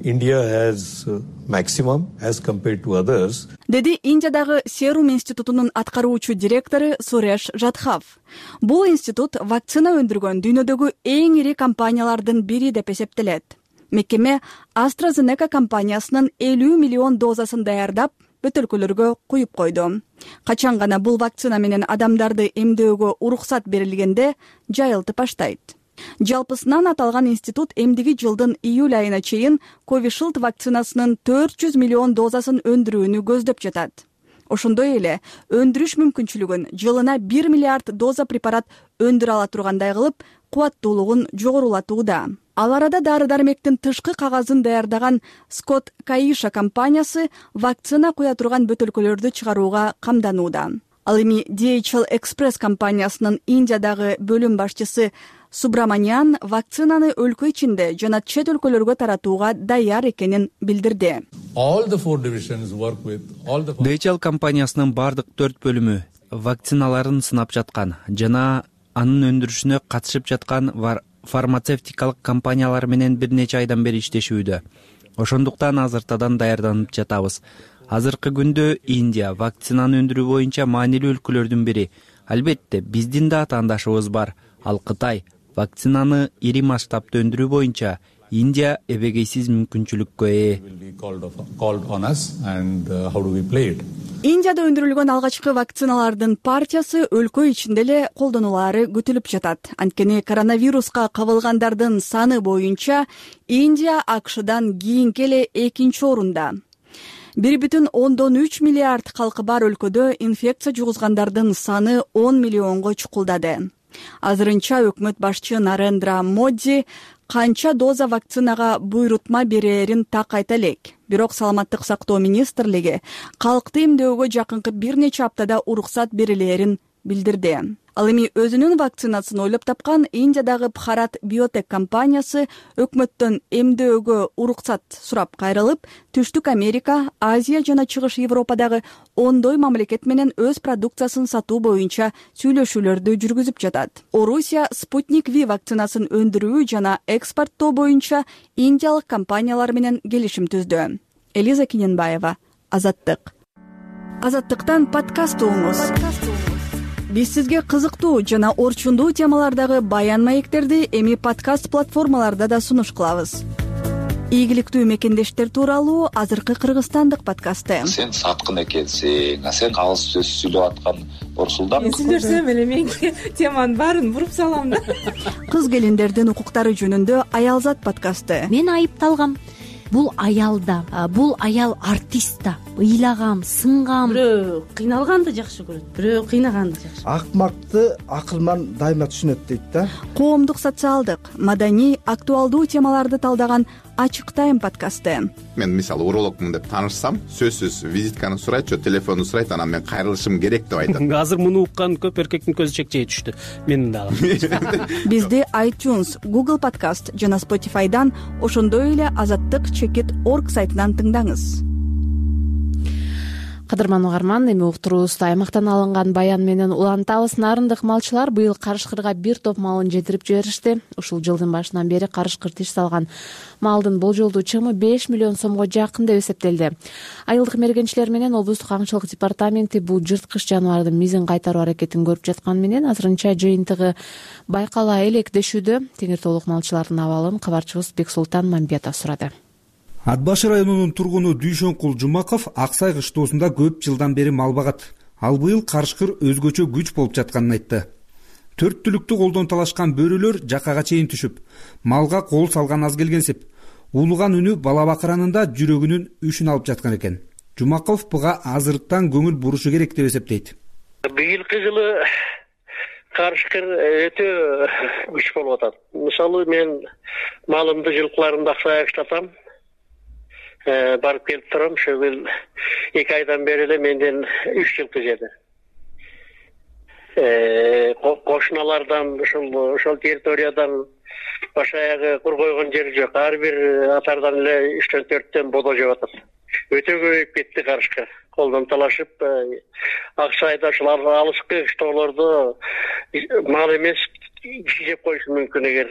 India has maximum as compared to others. Деди Индиядагы Серум институтунун аткаруучу директору Суреш Жадхав. Бул институт вакцина өндүргөн дүйнөдөгү эң ири компаниялардын бири деп эсептелет. Мекеме AstraZeneca компаниясынын 50 миллион дозасын даярдап, бөтөлкөлөргө куюп койду. Качан гана бул вакцина менен адамдарды эмдөөгө уруксат берилгенде жайылтып баштайт. Жалпысынан аталган институт эмдиги жылдын июль айына чейин Covishield вакцинасынын 400 миллион дозасын өндүрүүнү көздөп жатат. Ошондой эле өндүрүш мүмкүнчүлүгүн жылына 1 миллиард доза препарат өндүрө ала тургандай кылып, кубаттуулугун жогорулатууда. Ал арада дары-дармектин тышкы кагазын даярдаган Scott Kaisha компаниясы вакцина куя турган бөтөлкөлөрдү чыгарууга камданууда. Ал эми DHL Express компаниясынын Индиядагы бөлүм башчысы Субраманян вакцинаны өлкө ичинде жана чет өлкөлөргө таратууга даяр экенин билдирди. DHL компаниясынын бардык 4 бөлүмү вакциналарын сынап жаткан жана анын өндүрүшүнө катышып жаткан фармацевтикалык компаниялар менен бир нече айдан бери иштешүүдө. Ошондуктан азыртадан даярданып жатабыз. Азыркы күндө Индия вакцинаны өндүрүү боюнча маанилүү өлкөлөрдүн бири. Албетте, биздин да атаандашыбыз бар, ал Кытай. Вакцинаны ири масштабта өндүрүү боюнча Индия эбегейсиз мүмкүнчүлүккө ээ. Индияда өндүрүлгөн алгачкы вакциналардын партиясы өлкө ичинде эле колдонулаары күтүлүп жатат. Анткени коронавируска кабылгандардын саны боюнча Индия AQShдан кийинки эле 2-орунда. 1,3 миллиард калкы бар өлкөдө инфекция жугузгандардын саны 10 миллионго чукулдады. Азырынча өкмөт башчы Нарендра Моди канча доза вакцинага буйрутма берерин так айта элек. Бирок саламаттык сактоо министрлиги калкты эмдөөгө жакынкы бир нече аптада уруксат берилерин билдирди. Ал эми өзүнүн вакцинасын ойлоп тапкан Индиядагы Bharat Biotech компаниясы өкмөттөн эмдөөгө уруксат сурап кайрылып, Түштүк Америка, Азия жана Чыгыш Европадагы ондой мамлекет менен өз продукциясын сатуу боюнча сүйлөшүүлөрдү жүргүзүп жатат. Орусия Sputnik V вакцинасын өндүрүү жана экспорттоо боюнча индиялык компаниялар менен келишим түздү. Элиза Кененбаева, Азаттык. Азаттыктан подкаст угуңуз. Биз сизге кызыктуу жана орчундуу темалардагы баян маектерди эми подкаст платформаларда да сунуш кылабыз. Ийгиликтүү мекендештер тууралуу азыркы кыргызстандык подкасты. Сен саткын экенсиң, сен кагыз сөз сүйлөп аткан Орсулдан. Мен сүйлөсөм эле менин теманын баарын буруп салам да. Кыз келиндердин укуктары жөнүндө Аялзат подкасты. Мен айыпталгам. бул аял да, бул аял артист да. Ыйлаган, сынган, бирөө кыйналганды жакшы көрөт, бирөө кыйнаганды жакшы. Акмакты акылман дайыма түшүнөт дейт да. Коомдук, социалдык, маданий, актуалдуу темаларды талдаган Ачык Тайм подкасты. Мен мисалы урологмун деп таанышсам, сөзсүз визитканы сурайт же телефонду сурайт, анан мен кайрылышым керек деп айтат. Азыр муну уккан көп эркектин көзү чекчейе түштү. Менин дагы. Бизди iTunes, Google Podcast жана Spotify'дан, ошондой эле azattik.org сайтынан тыңдаңыз. Кадырман угарман, эми уктуруубузду аймактан алынган баян менен улантабыз. Нарындык малчылар быйыл Карышкырга бир топ малын жетирип жиберишти. Ушул жылдын башынан бери Карышкыр тиш салган малдын болжолдуу чыгымы 5 миллион сомго жакын деп эсептелди. Айылдык мергенчилер менен облустук аңчылык департаменти бул жырткыч жаныбардын мизин кайтаруу аракетин көрүп жаткан менен азырынча жыйынтыгы байкала элек дешүүдө. Теңир толук малчылардын абалын кабарчыбыз Бексултан Мамбетов сурады. Ат башы районунун тургуну Дүйшөнкул Жумаков Аксай кыштоосунда көп жылдан бери мал багат. Ал быйыл Карышкыр өзгөчө күч болуп жатканын айтты. 4 түлүктү колдон талашкан бөрөлөр жакага чейин түшүп, малга кол салган аз келгенсип, улуган үнү бала бакыранында жүрөгүнүн үшүн алып жаткан экен. Жумаков буга азырыктан көңүл бурушу керек деп эсептейт. Быйылкы жылы Карышкыр өтө күч болуп атат. Мисалы мен малымды жылкыларымды Аксайга иштатам. Барып келип турам, ошол 2 айдан бери эле менден 3 жылкы жеди. Кошуналардан, ошол территориядан баш аягы кур койгон жери жок. Ар бир атардан эле 3-4төн бодо жеп атат. Өтө көбөйүп кетти Карышкыр. Колдон талашып, Аксайда ушул алыскы кыштоолордо мал эмес киши жеп коюшу мүмкүн эгер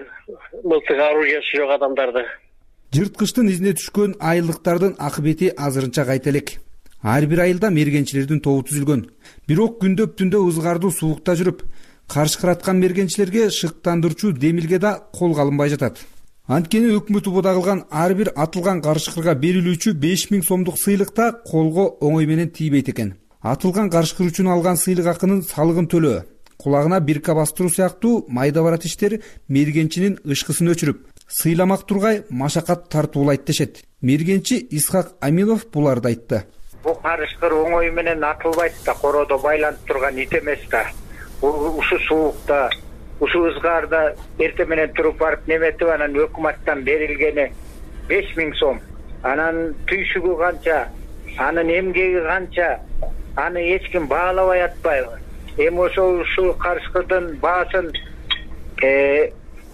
мылтык оружиясы жок адамдарды. Жырткычтын изине түшкөн айылдыктардын акыбети азырынча кайта элек. Ар бир айылда мергенчилердин тобу түзүлгөн. Бирок күндөп түндө ызгардуу суукта жүрүп, карышкыраткан мергенчилерге шыктандырчу демилге да колго алынбай жатат. Анткени өкмөт убада кылган ар бир атылган карышкырга берилүүчү 5000 сомдук сыйлыкта колго оңой менен тийбейт экен. Атылган карышкыр үчүн алган сыйлык акынын салыгын төлөө, кулагына бирка бастыруу сыяктуу майда барат иштер мергенчинин ышкысын өчүрүп, сыйламак тургай машакат тартуулайт дешет. Мергенчи Исхак Амилов буларды айтты. Бул карышкыр оңой менен атылбайт да, короодо байланып турган ит эмес да. Ушу суукта, ушу ызгаарда эртең менен туруп барып неметип, анан өкмөттөн берилгени 5000 сом. Анан түйшүгү канча, анын эмгеги канча, аны эч ким баалабай атпайбы. Эми ушул карышкырдын баасын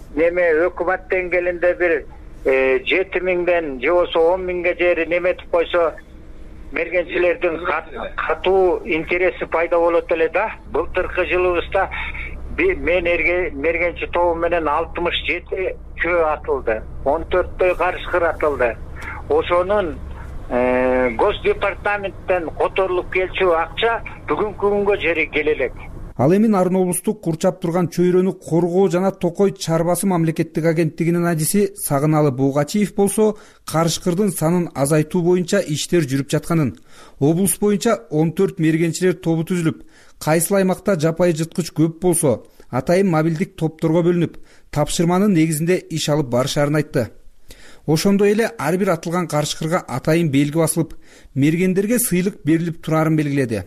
өкмөт деңгээлинде бир 7000ден же болбосо 10.000ге жери неметип койсо, мергенчилердин катуу интереси пайда болот эле да. Былтыркы жылыбызда мен мергенчи тобу менен 67 чөө атылды, 14 карышкыр атылды. Ошонун Госдепартаменттен которулуп келчү акча бүгүнкү күнгө жери келе элек. Ал эми Нарын облустук курчап турган чөйрөнү коргоо жана Токой чарбасы мамлекеттик агенттигинин адиси Сагыналы Бугачиев болсо, карышкырдын санын азайтуу боюнча иштер жүрүп жатканын, облус боюнча 14 мергенчилер тобу түзүлүп, кайсыл аймакта жапайы жырткыч көп болсо, атайын мобилдик топторго бөлүнүп, тапшырманын негизинде иш алып барышарын айтты. Ошондой эле ар бир атылган карышкырга атайын белги басылып, мергендерге сыйлык берилип турарын белгиледи.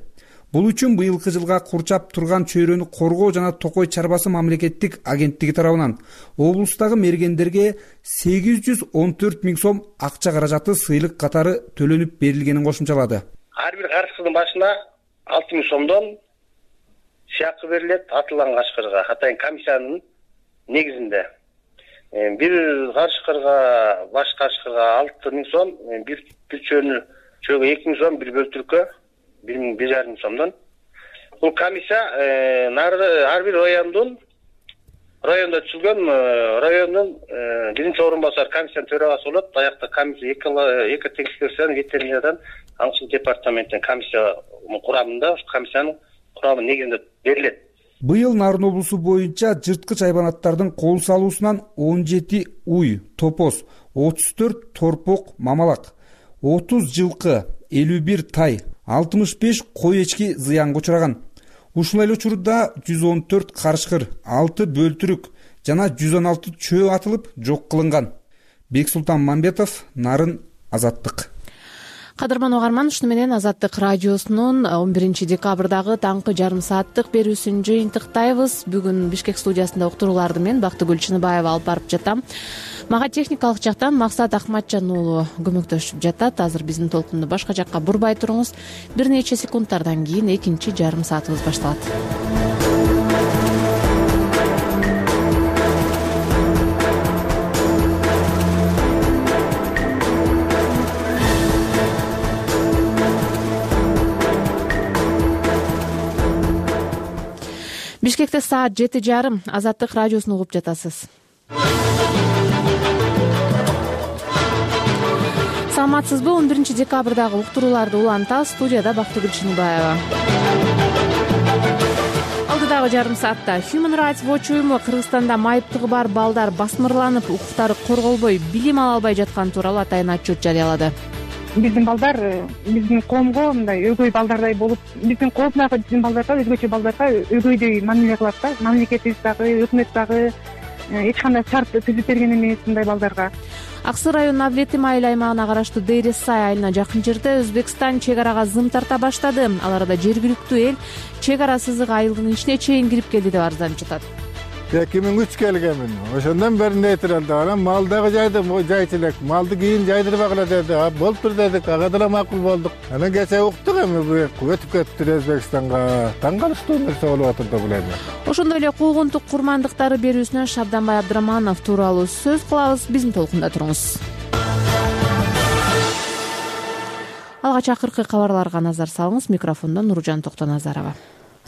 Бул үчүн быйылкы жылга курчап турган чөйрөнү коргоо жана Токой чарбасы мамлекеттик агенттиги тарабынан облустагы мергендерге 814 000 сом акча каражаты сыйлык катары төлөнүп берилгенин кошумчалады. Ар бир карышкырдын башына 6000 сомдон сыякы берилет атылган карышкырга, атайын комиссиянын негизинде. Бир карышкырга, баш карышкырга 6000 сом, бир чөйгө 2000 сом, бир бөлтүрккө 1500 сомдон. Бул комиссия ар бир райондо түзүлгөн райондун биринчи орун басар комиссиянын төрагасы болот. Аякта комиссия эки текшерүүчүдөн ветеринариядан аңчылык департаменттен комиссия курамында, комиссиянын курамы негизинде берилет. Быйыл Нарын облусу боюнча жырткыч айбанаттардын кол салуусунан 17 уй, топоз, 34 торпок мамалак, 30 жылкы, 51 тай, 65 кой эчки зыянга учураган. Ушул эле учурда 114 карышкыр, 6 бөлтүрүк жана 116 чөө атылып жок кылынган. Бексултан Мамбетов, Нарын, Азаттык. Кадырман угарман, ушуну менен Азаттык радиосунун 11 декабрдагы таңкы жарым сааттык берүүсүн жыйынтыктайбыз. Бүгүн Бишкек студиясында уктурууларды мен Бактыгүл Чыныбаева алып барып жатам. Мага техникалык жактан Максат Акматжан уулу көмөктөшүп жатат. Азыр биздин толкунду башка жакка бурбай туруңуз. Бир нече секундтардан кийин экинчи жарым саатыбыз башталат. Бишкекте саат 7:30. Азаттык радиосун угуп жатасыз. Саламатсызбы? 11 декабрдагы уктурууларды улантабыз. Студияда Бактыгүл Чыныбаева. Алдыдагы жарым саатта Human Rights Watch уюму Кыргызстанда майыптыгы бар балдар басмырланып, укуктары корголбой, билим ала албай жатканы тууралуу атайын отчет жарыялады. Биздин балдар биздин коомго мындай өгөй балдардай болуп, биздин коомдагы биздин балдарга, өзгөчө балдарга өгөйдөй мамиле кылат да. Мамлекетибиз дагы, өкмөт дагы эч кандай шарт түзүп берген эмес мындай балдарга. Аксы районунун Аблетим айыл аймагына караштуу Дейрес Сай айылына жакын жерде Өзбекстан чек арага зым тарта баштады. Ал арада жергиликтүү эл чек ара сызыгы айылдын ичине чейин кирип келди деп арызданып жатат. 2003 келгенмин. Ошондон бери нетиралды. Анан малдагы жайдым, жайчылык. Малды кийин жайдырбагыла деди. Болуптур дедик. Ага да макул болдук. Анан кече уктук эми өтүп кетти Өзбекстанга. Таң калыштуу нерсе болуп атат деп билем. Ошондой эле куугунтук курмандыктары берүүсүнөн Шабданбай Абдыраманов тууралуу сөз кылабыз. Биздин толкунда туруңуз. Алгач акыркы кабарларга назар салыңыз. Микрофондо Нуржан Токтоназарова.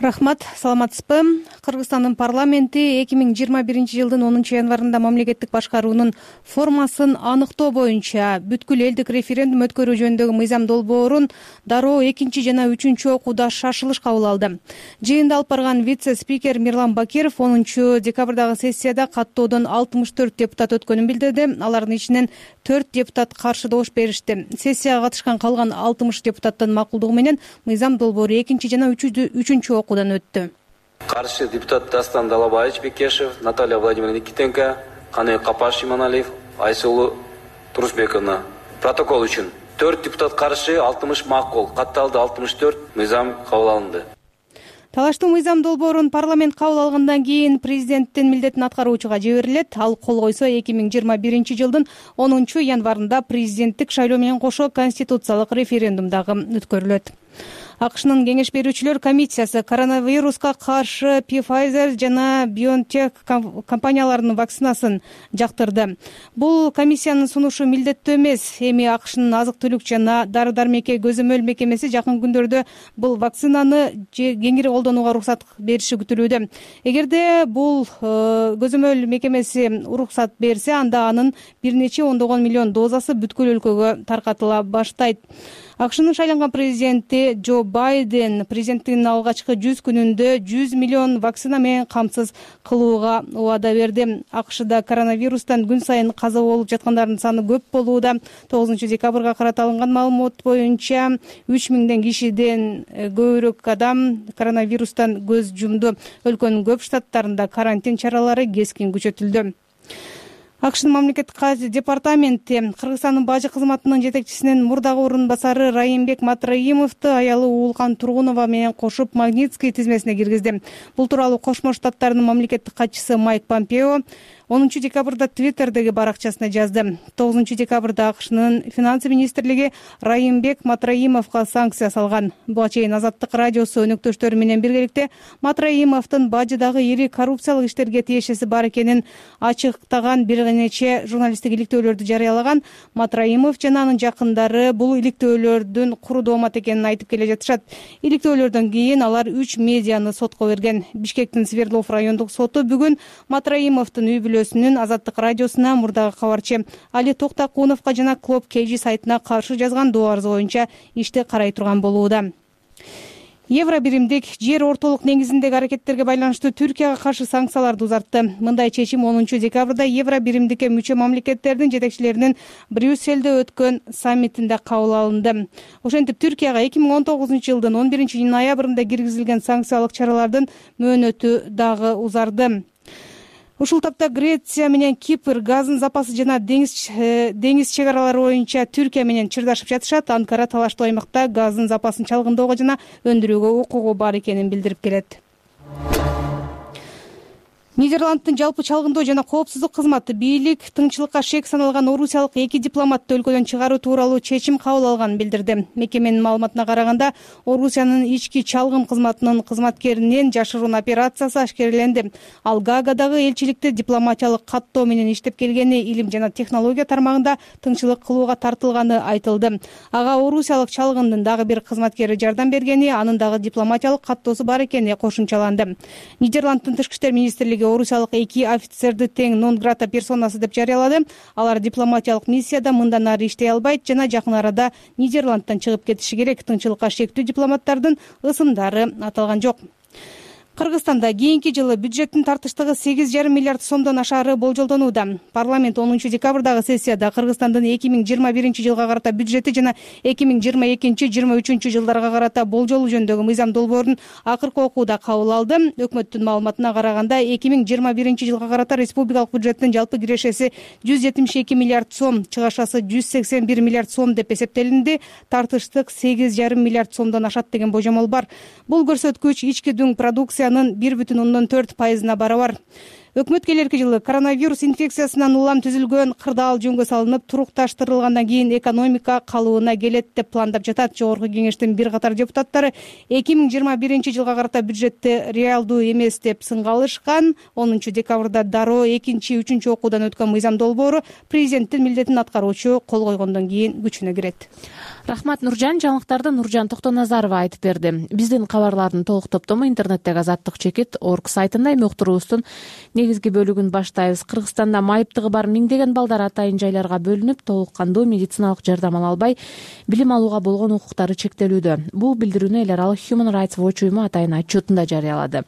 Рахмат, саламатсызбы? Кыргызстандын парламенти 2021 жылдын 10 январында мамлекеттик башкаруунун формасын аныктоо боюнча бүткүл элдик референдум өткөрүү жөнүндөгү мыйзам долбоорун дароо 2 жана 3 окууда шашылыш кабыл алды. Жыйында алып барган вице-спикер Мирлан Бакиров 10 декабрдагы сессияда каттоодон 64 депутат өткөнүн билдирди. Алардын ичинен 4 депутат каршы добуш беришти. Сессияга катышкан калган 60 депутаттын макулдугу менен мыйзам долбоору 2 жана 3 окуудан өттү. Каршы депутат Дастан Далабаевич Бекешев, Наталья Владимировна Никитенко, Канай Капаш Иманалиев, Айсулу Турусбековна. Протокол үчүн 4 депутат каршы, 60 макул, катталды 64, мыйзам кабыл алынды. Талаштуу мыйзам долбоорун парламент кабыл алгандан кийин президенттин милдетин аткаруучуга жиберилет. Ал кол койсо 2021 жылдын 10 январында президенттик шайлоо менен кошо конституциялык референдум дагы өткөрүлөт. АКШнын кеңеш берүүчүлөр комиссиясы коронавируска каршы Pfizer жана BioNTech компанияларынын вакцинасын жактырды. Бул комиссиянын сунушу милдеттүү эмес. Эми АКШнын азык-түлүк жана дары-дармекке көзөмөл мекемеси жакын күндөрдө бул вакцинаны кеңири колдонууга уруксат бериши күтүлүүдө. Эгерде бул көзөмөл мекемеси уруксат берсе, анда анын бир нече ондогон миллион дозасы бүткүл өлкөгө таркатыла баштайт. АКШнын шайланган президенти Джо Байден президенттигинин алгачкы 100 күнүндө 100 миллион вакцина менен камсыз кылууга убада берди. АКШда коронавирустан күн сайын каза болуп жаткандардын саны көп болууда. 9 декабрга карата алынган маалымат боюнча 3000 кишиден көбүрөөк адам коронавирустан көз жумду. Өлкөнүн көп штаттарында карантин чаралары кескин күчөтүлдү. АКШнын мамлекеттик департаменти Кыргызстандын бажы кызматынын жетекчисинин мурдагы орун басары Райымбек Матраимовду аялы Уулкан Тургунова менен кошуп Магнитский тизмесине киргизди. Бул тууралуу Кошмо Штаттарынын мамлекеттик катчысы Майк Помпео 10 декабрда Твиттердеги баракчасына жазды. 9 декабрда АКШнын финансы министрлиги Райымбек Матраимовго санкция салган. Буга чейин Азаттык радиосу өнөктөштөрү менен биргеликте Матраимовдун бажыдагы ири коррупциялык иштерге тиешеси бар экенин ачыктаган бир нече журналисттик иликтөөлөрдү жарыялаган. Матраимов жана анын жакындары бул иликтөөлөрдүн куру доомат экенин айтып келе жатышат. Иликтөөлөрдөн кийин алар 3 медианы сотко берген. Бишкектин Свердлов райондук соту бүгүн Матраимовдун үй бүлөсүнүн Азаттык радиосуна мурдагы кабарчы Али Токтакуновго жана Клоп KG сайтына каршы жазган доо арызы боюнча ишти карай турган болууда. Евро биримдик жер ортолук негизиндеги аракеттерге байланыштуу Түркияга каршы санкцияларды узартты. Мындай чечим 10 декабрда Евро биримдикке мүчө мамлекеттердин жетекчилеринин Брюсселде өткөн саммитинде кабыл алынды. Ошентип Түркияга 2019 жылдын 11 ноябрында киргизилген санкциялык чаралардын мөөнөтү дагы узарды. Ушул тапта Греция менен Кипр газын запасы жана деңиз чек аралары боюнча Түркия менен чырдашып жатышат. Анкара талаштуу аймакта газдын запасын чалгындоого жана өндүрүүгө укугу бар экенин билдирип келет. Нидерланддын жалпы чалгындоо жана коопсуздук кызматы бийлик тыңчылыкка шек саналган орусиялык 2 дипломатты өлкөдөн чыгаруу тууралуу чечим кабыл алганын билдирди. Мекеменин маалыматына караганда, Орусиянын ички чалгын кызматынын кызматкеринин жашыруун операциясы ашкереленди. Ал Гаагадагы элчиликте дипломатиялык каттоо менен иштеп келгени, илим жана технология тармагында тыңчылык кылууга тартылганы айтылды. Ага орусиялык чалгындын дагы бир кызматкери жардам бергени, анын дагы дипломатиялык каттоосу бар экени кошумчаланды. Нидерланддын тышкы иштер министрлиги орусиялык 2 офицерди тең нон грата персонасы деп жарыялады. Алар дипломатиялык миссияда мындан ары иштей албайт жана жакын арада Нидерландтан чыгып кетиши керек. Тыңчылыкка шектүү дипломаттардын ысымдары аталган жок. Кыргызстанда кийинки жылы бюджеттин тартыштыгы 8,5 миллиард сомдон ашаары болжолдонууда. Парламент 10 декабрдагы сессияда Кыргызстандын 2021 жылга карата бюджети жана 2022-2023 жылдарга карата болжолу жөнүндөгү мыйзам долбоорун акыркы окууда кабыл алды. Өкмөттүн маалыматына караганда 2021 жылга карата республикалык бюджеттин жалпы кирешеси 172 миллиард сом, чыгашасы 181 миллиард сом деп эсептелинди. Тартыштык 8,5 миллиард сомдон ашат деген божомол бар. Бул көрсөткүч ички дүң продукция 1,4% барабар. Өкмөт келерки жылы коронавирус инфекциясынан улам түзүлгөн кырдаал жөнгө салынып, турукташтырылгандан кийин экономика калыбына келет деп пландап жатат. Жогорку кеңештин бир катар депутаттары 2021 жылга карата бюджетти реалдуу эмес деп сынга алышкан. 10 декабрда дароо 2-3 окуудан өткөн мыйзам долбоору президенттин милдетин аткаруучу кол койгондон кийин күчүнө кирет. Рахмат, Нуржан. Жаңылыктарды Нуржан Токтоназарова айтып берди. Биздин кабарлардын толук топтому интернеттеги Азаттык чекит орг сайтында. Эми уктуруубуздун негизги бөлүгүн баштайбыз. Кыргызстанда майыптыгы бар миңдеген балдар атайын жайларга бөлүнүп, толук кандуу медициналык жардам ала албай, билим алууга болгон укуктары чектелүүдө. Бул билдирүүнү эл аралык Human Rights Watch уюму атайын отчетунда жарыялады.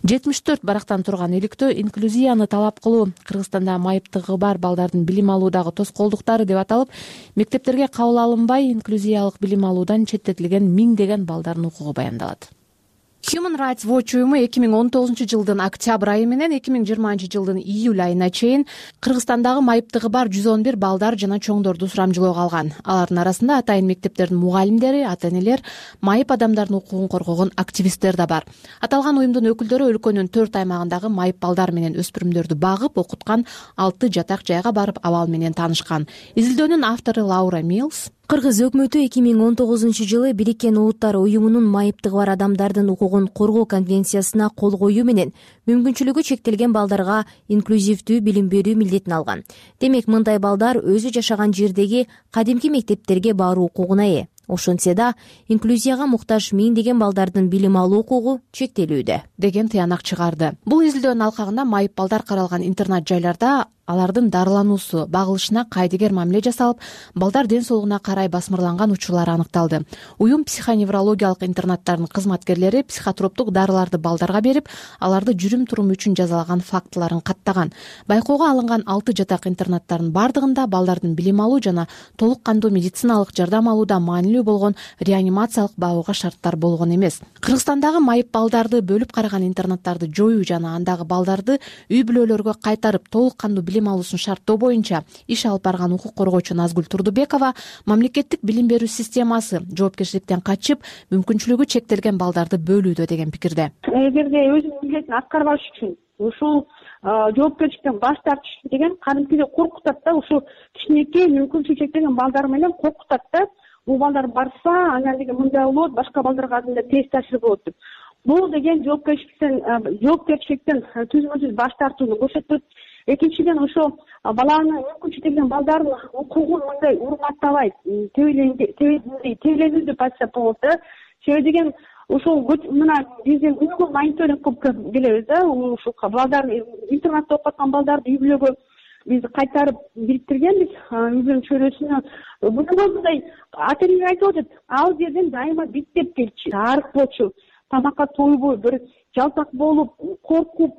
74 барактан турган иликтөө инклюзияны талап кылуу, Кыргызстанда майыптыгы бар балдардын билим алуудагы тоскоолдуктары деп аталып, мектептерге кабыл алынбай, инклюзиялык билим алуудан четтетилген миңдеген балдардын укугу баяндалат. Human Rights Watch уюму 2019 жылдын октябрь айы менен 2020 жылдын июль айына чейин Кыргызстандагы майыптыгы бар 111 балдар жана чоңдорду сурамжылоого алган. Алардын арасында атайын мектептердин мугалимдери, ата-энелер, майып адамдардын укугун коргогон активисттер да бар. Аталган уюмдун өкүлдөрү өлкөнүн 4 аймагындагы майып балдар менен өспүрүмдөрдү багып, окуткан 6 жатак жайга барып абал менен таанышкан. Изилдөөнүн автору Лаура Милс Кыргыз өкмөтү 2019 жылы Бириккен Улуттар уюмунун майыптыгы бар адамдардын укугун коргоо конвенциясына кол коюу менен мүмкүнчүлүгү чектелген балдарга инклюзивдүү билим берүү милдетин алган. Демек, мындай балдар өзү жашаган жердеги кадимки мектептерге баруу укугуна ээ. Ошентсе да, инклюзияга муктаж миңдеген балдардын билим алуу укугу чектелүүдө деген тыянак чыгарды. Бул изилдөөнүн алкагында майып балдар каралган интернат жайларда алардын дарылануусу, багылышына кайдыгер мамиле жасалып, балдар ден соолугуна карай басмырланган учурлар аныкталды. Уюм психоневрологиялык интернаттардын кызматкерлери психотроптук дарыларды балдарга берип, аларды жүрүм-турум үчүн жазалаган фактыларын каттаган. Байкоого алынган 6 жатак интернаттардын бардыгында балдардын билим алуу жана толук кандуу медициналык жардам алууда маанилүү болгон реанимациялык багууга шарттар болгон эмес. Кыргызстандагы майып балдарды бөлүп караган интернаттарды жоюу жана андагы балдарды үй бүлөлөргө кайтарып толук кандуу билим алуусун шарттоо боюнча иш алып барган укук коргоочу Назгүл Турдубекова мамлекеттик билим берүү системасы жоопкерчиликтен качып, мүмкүнчүлүгү чектелген балдарды бөлүүдө деген пикирде. Эгерде өзүнүн милдетин аткарбаш үчүн ушул жоопкерчиликтен баш тартыш деген кадимкидей коркутат да, ушул кичинекей мүмкүнчүлүгү чектелген балдар менен коркутат да. Бул балдар барса, анан деген мындай болот, башка балдарга терс таасир болот деп. Бул деген жоопкерчиликтен түзмөсүз баш тартууну көрсөтөт. Экинчиден, ошо баланын мүмкүнчүлүгү чектелген балдардын укугун мындай урматтабайт, тебеленүү деп айтсак болот да. Себеби деген ушул мына биздин Google мониторинг көп билебиз да, ушул балдарды интернатта окуп аткан балдарды үй бүлөгө биз кайтарып бириктиргенбиз, үй бүлөнүн чөйрөсүнө. Мындай мындай ата-энелер айтып атат, ал жерден дайыма биттеп келчү, арык болчу, тамакка тойбой, бир жалтак болуп, коркуп,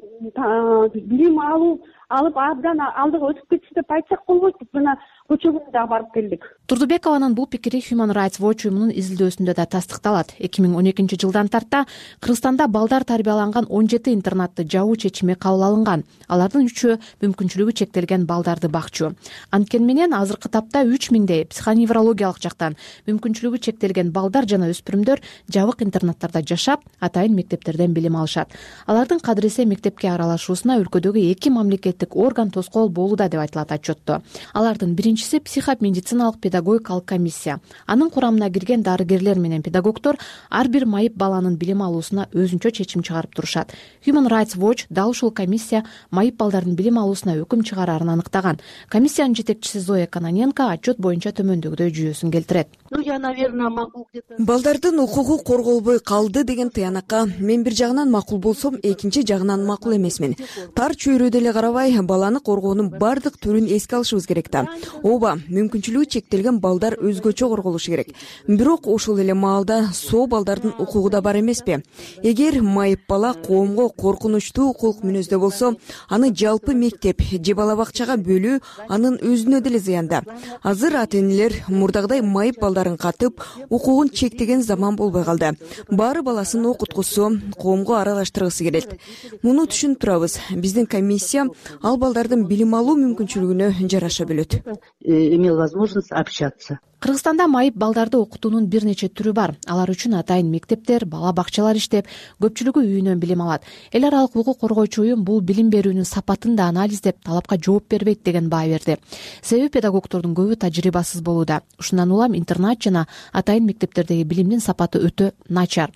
билим алып абдан алдыга өтүп кетти деп айтсак болбойт. Мына көчө күнү дагы барып келдик. Турдубекованын бул пикири Human Rights Watch уюмунун изилдөөсүндө да тастыкталат. 2012 жылдан тарта Кыргызстанда балдар тарбияланган 17 интернатты жабуу чечими кабыл алынган. Алардын 3-ü мүмкүнчүлүгү чектелген балдарды бакчу. Анткени менен азыркы тапта 3000дей психоневрологиялык жактан мүмкүнчүлүгү чектелген балдар жана өспүрүмдөр жабык интернаттарда жашап, атайын мектептерден билим алышат. Алардын кадыресе мектепке аралашуусуна өлкөдөгү 2 мамлекеттик орган тоскоол болууда деп айтылат отчетто. Алардын биринчиси психомедициналык педагогикалык комиссия. Анын курамына кирген дарыгерлер менен педагогдор ар бир майып баланын билим алуусуна өзүнчө чечим чыгарып турушат. Human Rights Watch дал ушул комиссия майып балдардын билим алуусуна өкүм чыгарарын аныктаган. Комиссиянын жетекчиси Зоя Каноненко отчет боюнча төмөндөгүдөй жүйөсүн келтирет. Я, наверное, могу балдардын укугу корголбой калды деген тыянакка мен бир жагынан макул болсом, экинчи жагынан макул эмесмин. Тар чөйрөдө эле карабай, баланы коргоонун бардык түрүн эске алышыбыз керек да. Ооба, мүмкүнчүлүгү чектелген балдар өзгөчө корголушу керек. Бирок ошол эле маалда соо балдардын укугу да бар эмеспи? Эгер майып бала коомго коркунучтуу укук мүнөздө болсо, аны жалпы мектеп же бала бакчага бөлүү анын өзүнө деле зыянда. Азыр ата-энелер мурдагыдай майып балдарын катып, укугун чектеген заман болбой калды. Баары баласын окуткусу, коомго аралаштыргысы келет. Муну түшүнүп турабыз. Биздин комиссия ал балдардын билим алуу мүмкүнчүлүгүнө жараша бөлөт. Имел возможность общаться. Кыргызстанда майып балдарды окутуунун бир нече түрү бар. Алар үчүн атайын мектептер, бала бакчалар иштеп, көпчүлүгү үйүнөн билим алат. Эл аралык укук коргоочу уюм бул билим берүүнүн сапатын да анализдеп, талапка жооп бербейт деген баа берди. Себеби педагогдордун көбү тажрыйбасыз болууда. Ушундан улам интернат жана атайын мектептердеги билимдин сапаты өтө начар.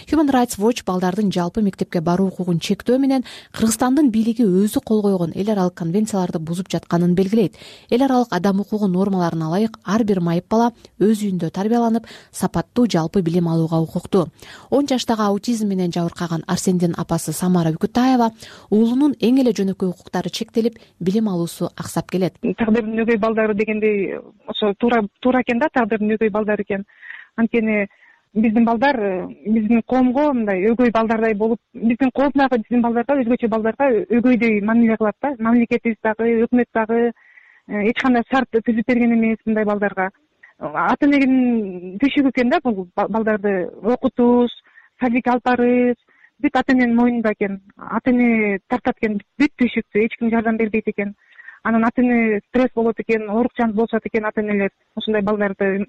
Human Rights Watch балдардын жалпы мектепке баруу укугун чектөө менен Кыргызстандын бийлиги өзү кол койгон эл аралык конвенцияларды бузуп жатканын белгилейт. Эл аралык адам укугу нормаларына ылайык ар бир майып бала өз үйүндө тарбияланып, сапаттуу жалпы билим алууга укуктуу. 10 жаштагы аутизм менен жабыркаган Арсендин апасы Самара Үкүтаева уулунун эң эле жөнөкөй укуктары чектелип, билим алуусу аксап келет. Тагдырдын өгөй балдары дегендей, ошо туура экен да, тагдырдын өгөй балдары экен. Анткени биздин балдар биздин коомго мындай өгөй балдардай болуп, биздин коомдагы биздин балдарга, өзгөчө балдарга өгөйдөй мамиле кылат да. Мамлекетибиз дагы, өкмөт дагы эч кандай шарт түзүп берген эмес мындай балдарга. Ата-эненин түйшүгү экен да, бул балдарды окутуш, садикке алып барыш, бүт ата-эненин мойнунда экен. Ата-эне тартат экен бүт түйшүктү, эч ким жардам бербейт экен. Анан ата-эне стресс болот экен, оорукчан болушат экен ата-энелер. Ушундай балдарды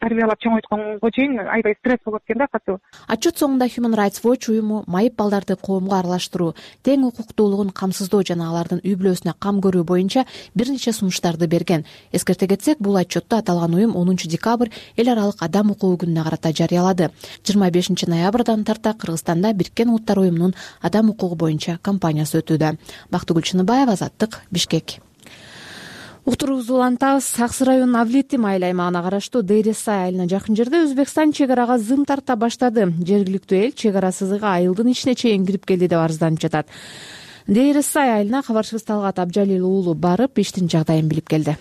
тарбиялап чоңойтконго чейин аябай стресс болот экен да, катуу. Отчет соңунда Human Rights Watch уюму майып балдарды коомго аралаштыруу, тең укуктуулугун камсыздоо жана алардын үй бүлөсүнө кам көрүү боюнча бир нече сунуштарды берген. Эскерте кетсек, бул отчетту аталган уюм 10 декабрь эл аралык адам укугу күнүнө карата жарыялады. 25 ноябрдан тарта Кыргызстанда Бириккен Улуттар уюмунун адам укугу боюнча кампаниясы өтүүдө. Бактыгүл Чыныбаева, Азаттык, Бишкек. Уктуруубузду улантабыз. Аксы районунун Авлити майыл аймагына караштуу Дейресай айылына жакын жерде Өзбекстан чек арага зым тарта баштады. Жергиликтүү эл чек ара сызыгы айылдын ичине чейин кирип келди деп арызданып жатат. Дейресай айылына кабарчыбыз Талгат Абжалил уулу барып, иштин жагдайын билип келди.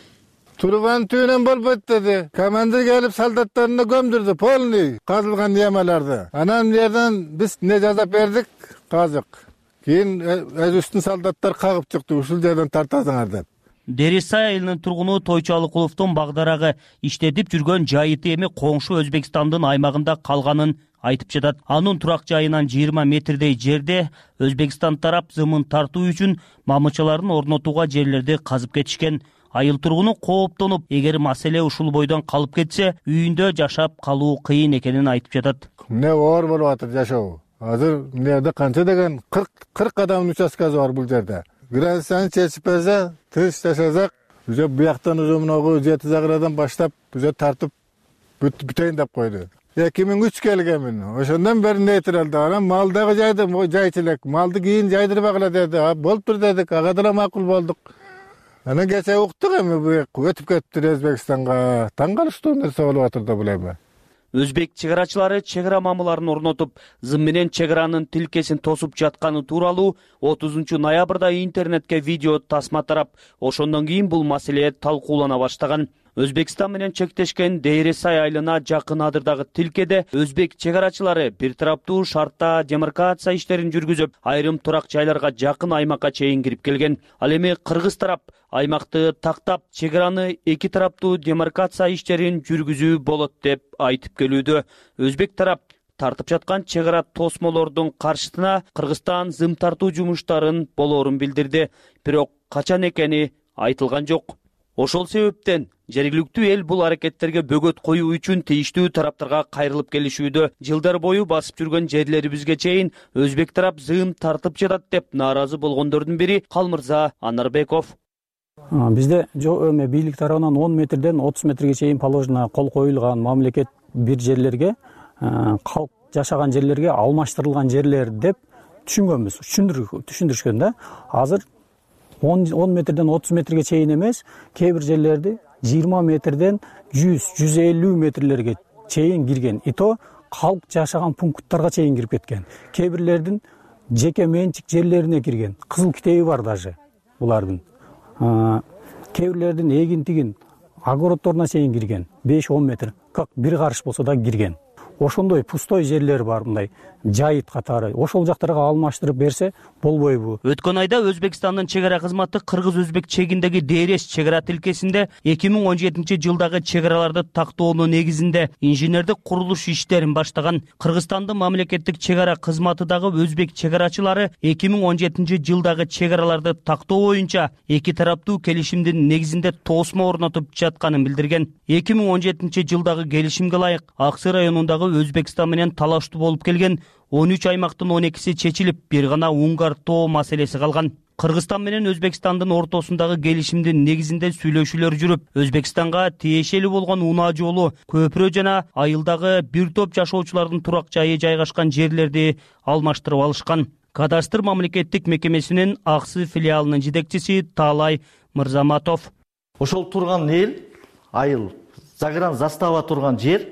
Турган түйүнөн болбойт деди. Командир келип солдаттарына көмдүрдү, полный казылган ямаларды. Анан бу жерден биз не жазап бердик, казык. Кийин өзүбүздүн солдаттар кагып чыкты, ушул жерден тартасыңар деп. Дересай айылынын тургуну Тойчу Алыкуловдун багдарагы иштетип жүргөн жайыты эми коңшу Өзбекстандын аймагында калганын айтып жатат. Анын турак жайынан 20 метрдей жерде Өзбекстан тарап зымын тартуу үчүн мамычаларын орнотууга жерлерди казып кетишкен. Айыл тургуну кооптонуп, эгер маселе ушул бойдон калып кетсе, үйүндө жашап калуу кыйын экенин айтып жатат. Эмне оор болуп атат жашоо? Азыр эмнеде канча деген 40 адамдын участкасы бар бул жерде. Границаны чечип берсе, тыныч жашасак, уже бияктан уже мынагу жети загырадан баштап, уже тартып бүтөйүн деп койду. 2003 келгенмин. Ошондон бери нейтралды. Анан малдагы жайды жайчылык, малды кийин жайдырбагыла деди. Болуптур дедик, ага да макул болдук. Анан кече уктук эми бу өтүп кетиптир Өзбекстанга. Таң калыштуу нерсе болуп атыр да бул эми. Өзбек чек арачылары чек ара мамыларын орнотуп, зым менен чек аранын тилкесин тосуп жатканы тууралуу 30 ноябрда интернетке видео тасма тарап, ошондон кийин бул маселе талкуулана баштаган. Өзбекстан менен чектешкен Дейресай айылына жакын адырдагы тилкеде өзбек чек арачылары бир тараптуу шартта демаркация иштерин жүргүзүп, айрым турак жайларга жакын аймакка чейин кирип келген. Ал эми кыргыз тарап аймакты тактап, чек араны эки тараптуу демаркация иштерин жүргүзүү болот деп айтып келүүдө. Өзбек тарап тартып жаткан чек ара тосмолордун каршысына Кыргызстан зым тартуу жумуштарын болоорун билдирди. Бирок качан экени айтылган жок. Ошол себептен жергиликтүү эл бул аракеттерге бөгөт коюу үчүн тийиштүү тараптарга кайрылып келишүүдө. Жылдар бою басып жүргөн жерлерибизге чейин өзбек тарап зым тартып жатат деп нааразы болгондордун бири Калмырза Анарбеков. Бизде бийлик тарабынан 10 метрден 30 метрге чейин положено кол коюлган. Мамлекет бир жерлерге, калк жашаган жерлерге алмаштырылган жерлер деп түшүнгөнбүз, түшүндүрүшкөн да. Азыр 10 метрден 30 метрге чейин эмес, кээ бир жерлерди 20 метрден 100-150 метрлерге чейин кирген. Ито калк жашаган пункттарга чейин кирип кеткен. Кээ бирлердин жеке менчик жерлерине кирген. Кызыл китеби бар даже булардын. Кээ бирлердин эгин-тигин огородторуна чейин кирген. 5-10 метр, как бир карыш болсо да кирген. Ошондой пустой жерлер бар, мындай жайыт катары. Ошол жактарга алмаштырып берсе болбойбу? Өткөн айда Өзбекстандын чек ара кызматы кыргыз-өзбек чегиндеги Дейрес чек ара тилкесинде 2017-жылдагы чек араларды тактоонун негизинде инженердик курулуш иштерин баштаган. Кыргызстандын мамлекеттик чек ара кызматы дагы өзбек чек арачылары 2017-жылдагы чек араларды тактоо боюнча эки тараптуу келишимдин негизинде тосмо орнотуп жатканын билдирген. 2017-жылдагы келишимге ылайык Аксы районундагы Өзбекстан менен талаштуу болуп келген 13 аймактын 12си чечилип, бир гана Унгар тоо маселеси калган. Кыргызстан менен Өзбекстандын ортосундагы келишимдин негизинде сүйлөшүүлөр жүрүп, Өзбекстанга тиешелүү болгон унаа жолу, көпүрө жана айылдагы бир топ жашоочулардын турак жайы жайгашкан жерлерди алмаштырып алышкан. Кадастр мамлекеттик мекемесинин Аксы филиалынын жетекчиси Таалай Мырзаматов. Ошол турган эл, айыл, загран застава турган жер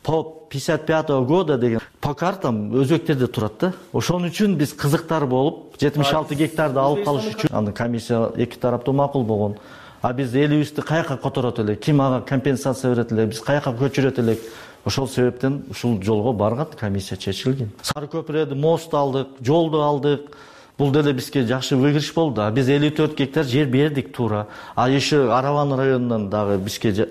по 55 года деген по картам өзбектерде турат да. Ошон үчүн биз кызыктар болуп 76 гектарды алып калыш үчүн аны комиссия эки тараптуу макул болгон. А биз элибизди каяка которот элек, ким ага компенсация берет элек, биз каяка көчүрөт элек. Ошол себептен ушул жолго барган, комиссия чечилген. Сары көпүрөдө мост алдык, жолду алдык. Бул деле бизге жакшы выигрыш болду. Биз 54 гектар жер бердик туура. А еще Араван районунан дагы бизге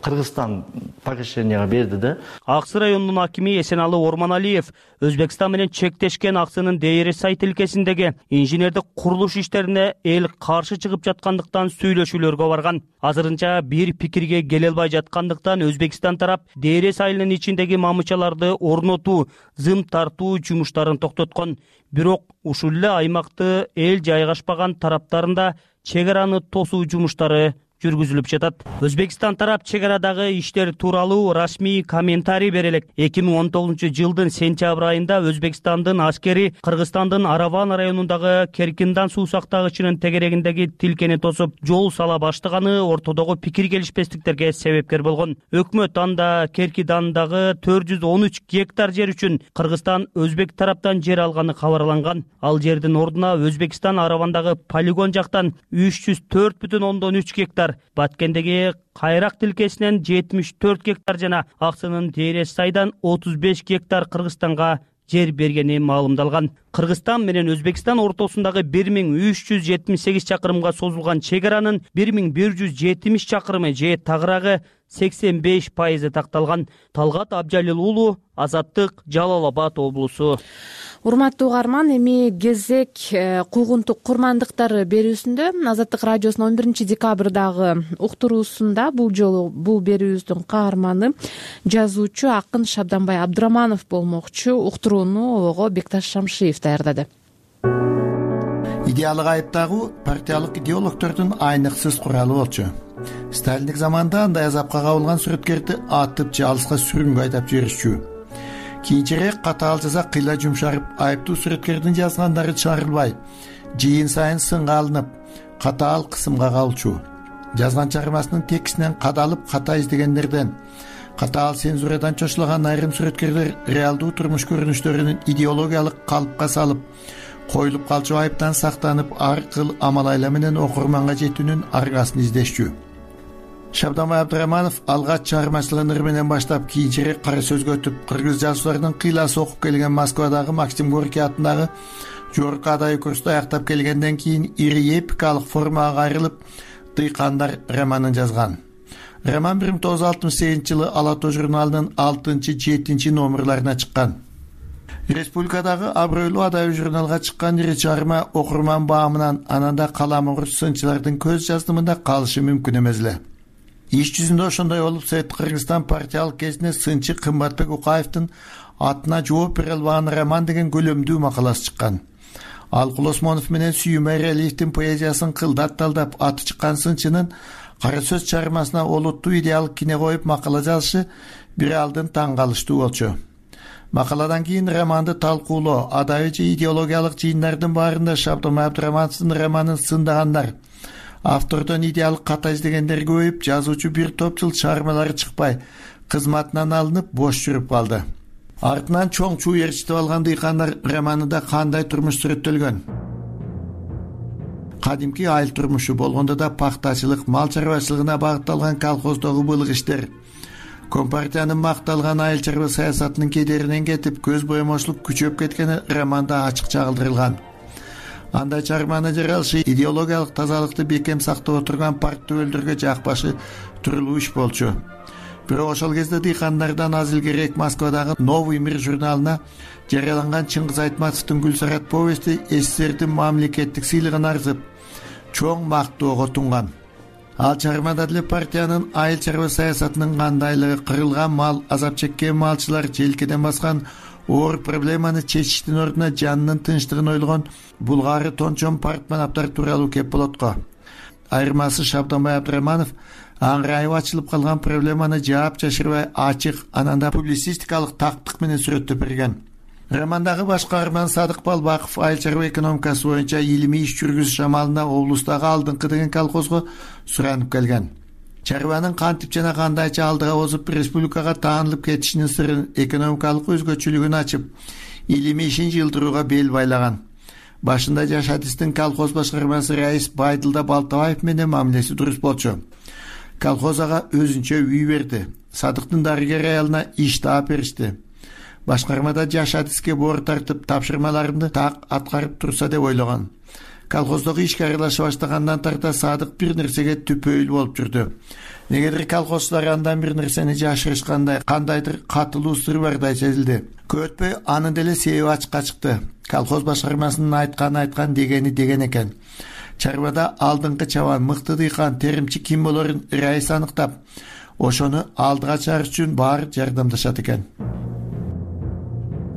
Кыргызстан покошенияга берди да. Аксы районунун акими Эсеналы Орманалиев Өзбекстан менен чектешкен Аксынын Дейресай тилкесиндеги инженердик курулуш иштерине эл каршы чыгып жаткандыктан сүйлөшүүлөргө барган. Азырынча бир пикирге келе албай жаткандыктан Өзбекстан тарап Дейрес айылынын ичиндеги мамычаларды орнотуу, зым тартуу жумуштарын токтоткон. Бирок ушул эле аймакты эл жайгашпаган тараптарында чек араны тосуу жумуштары жүргүзүлүп жатат. Өзбекстан тарап чек арадагы иштер тууралуу расмий комментарий бере элек. 2019-жылдын сентябрь айында Өзбекстандын аскери Кыргызстандын Араван районундагы Керкиндан суу сактагычынын тегерегиндеги тилкени тосуп, жол сала баштаганы ортодогу пикир келишпестиктерге себепкер болгон. Өкмөт анда Керкидандагы 413 гектар жер үчүн Кыргызстан өзбек тараптан жер алганы кабарланган. Ал жердин ордуна Өзбекстан Аравандагы полигон жактан 304,3 гектар, Баткендеги Кайрак тилкесинен 74 гектар жана Аксынын Дейресайдан 35 гектар Кыргызстанга жер бергени маалымдалган. Кыргызстан менен Өзбекстан ортосундагы 1378 чакырымга созулган чек аранын 1170 чакырымы же тагыраагы 85% такталган. Талгат Абжалил уулу, Азаттык, Жалал Абад облусу. Урматтуу угарман, эми кезек куугунтук курмандыктары берүүсүндө Азаттык радиосунун 11-декабрдагы уктуруусунда бул жолу бул берүүбүздүн каарманы жазуучу акын Шабданбай Абдыраманов болмокчу. Уктурууну ого Бекташ Шамшиев даярдады. Идеалык айыптагуу партиялык идеологдордун айныксыз куралы болчу. Сталиндик заманда андай азапка кабылган сүрөткөрдү атып же алыска сүргүнгө айдап жиберишчү. Кийинчерээк катаал жаза кыйла жумшарып, айыптуу сүрөткөрдүн жазгандары чыгарылбай, жыйын сайын сынга алынып, катаал кысымга кабылчу. Жазган чыгармасынын текстинен кадалып ката издегендерден, катаал цензурадан чочулаган айрым сүрөткөрлөр реалдуу турмуш көрүнүштөрүн идеологиялык калыпка салып, коюлуп калчу айыптан сактанып, ар кыл амал айла менен окурманга жетүүнүн аргасын издешчү. Шабданбай Абдыраманов алгач чыгармачылыгын ыр менен баштап кийинчерээк кара сөзгө өтүп, кыргыз жазуучуларынын кыйласы окуп келген Москвадагы Максим Горький атындагы жогорку адай курсту аяктап келгенден кийин ири эпикалык формага кайрылып «Дыйкандар» романын жазган. Роман 1968-жылы Ала тоо журналынын 6-7 номерларына чыккан. Республикадагы абройлуу адай журналга чыккан ири чыгарма окурман баамынан ананда каламурус сынчылардын көз жаздымында калышы мүмкүн эмес эле. Иш жүзүндө ошондой болуп, Совет Кыргызстан партиялык кезинде сынчы Кымбатбек Укаевдин атына жооп бере албаган роман деген көлөмдүү макаласы чыккан. Алкул Осмонов менен Сүйүм Айралиевдин поэзиясын кылдат талдап аты чыккан сынчынын кара сөз чыгармасына олуттуу идеалык кине коюп макала жазышы бир алдын таң калыштуу болчу. Макаладан кийин романды талкуулоо, адай же идеологиялык жыйындардын баарында Шабданбай Абдырамановдун романын сындагандар, автордон идеалык ката издегендер көбөйүп, жазуучу бир топ жыл чыгармалары чыкпай, кызматынан алынып бош жүрүп калды. Артынан чоң чуу ээрчитип алган «Дыйкандар» романында кандай турмуш сүрөттөлгөн? Кадимки айыл турмушу, болгондо да пахтачылык, мал чарбачылыгына багытталган колхоздогу былык иштер, Компартиянын макталган айыл чарба саясатынын кедеринен кетип, көз боемоочулук күчөп кеткени романда ачык чагылдырылган. Андай чыгарманы жаралышы идеологиялык тазалыкты бекем сактап отурган парк төбөлдөргө жакпашы турурлуу иш болчу. Бирок ошол кезде «Дыйкандардан» аз илгерээк Москвадагы «Новый мир» журналына жарыяланган Чыңгыз Айтматовдун «Гүлсарат» повести СССРдин мамлекеттик сыйлыгын арзып, чоң мактоого тунган. Ал чыгармада деле партиянын айыл чарба саясатынын кандайлыгы, кырылган мал, азап чеккен малчылар, желкеден баскан оор проблеманы чечиштин ордуна жанынын тынчтыгын ойлогон булгары тончон партманаптар тууралуу кеп болот го. Айырмасы Шабданбай Абдыраманов аңырайып ачылып калган проблеманы жаап жашырбай ачык, ананда публицистикалык тактык менен сүрөттөп берген. Романдагы баш каарман Садык Балбаков айыл чарба экономикасы боюнча илимий иш жүргүзүш амалында облустагы алдыңкы деген колхозго суранып келген. Чарбанын кантип жана кандайча алдыга озуп республикага таанылып кетишинин сырын, экономикалык өзгөчөлүгүн ачып, илимий ишин жылдырууга бел байлаган. Башында Жаш Адистин колхоз башкармасы раис Байдылда Балтабаев менен мамилеси дурус болчу. Колхоз ага өзүнчө үй берди. Садыктын дарыгер аялына иш таап беришти. Башкармада Жаш Адиске боор тартып, тапшырмаларымды так аткарып турса деп ойлогон. Колхоздогу ишке аралаша баштагандан тарта Садык бир нерсеге түпөйүл болуп жүрдү. Негедир колхозчулар андан бир нерсени жашырышкандай, кандайдыр катылуу сыр бардай сезилди. Көп өтпөй анын деле себеби ачыкка чыкты. Колхоз башкармасынын айткан дегени деген экен. Чарбада алдыңкы чабан, мыкты дыйкан, теримчи ким болорун раис аныктап, ошону алдыга чыгарыш үчүн баары жардамдашат экен.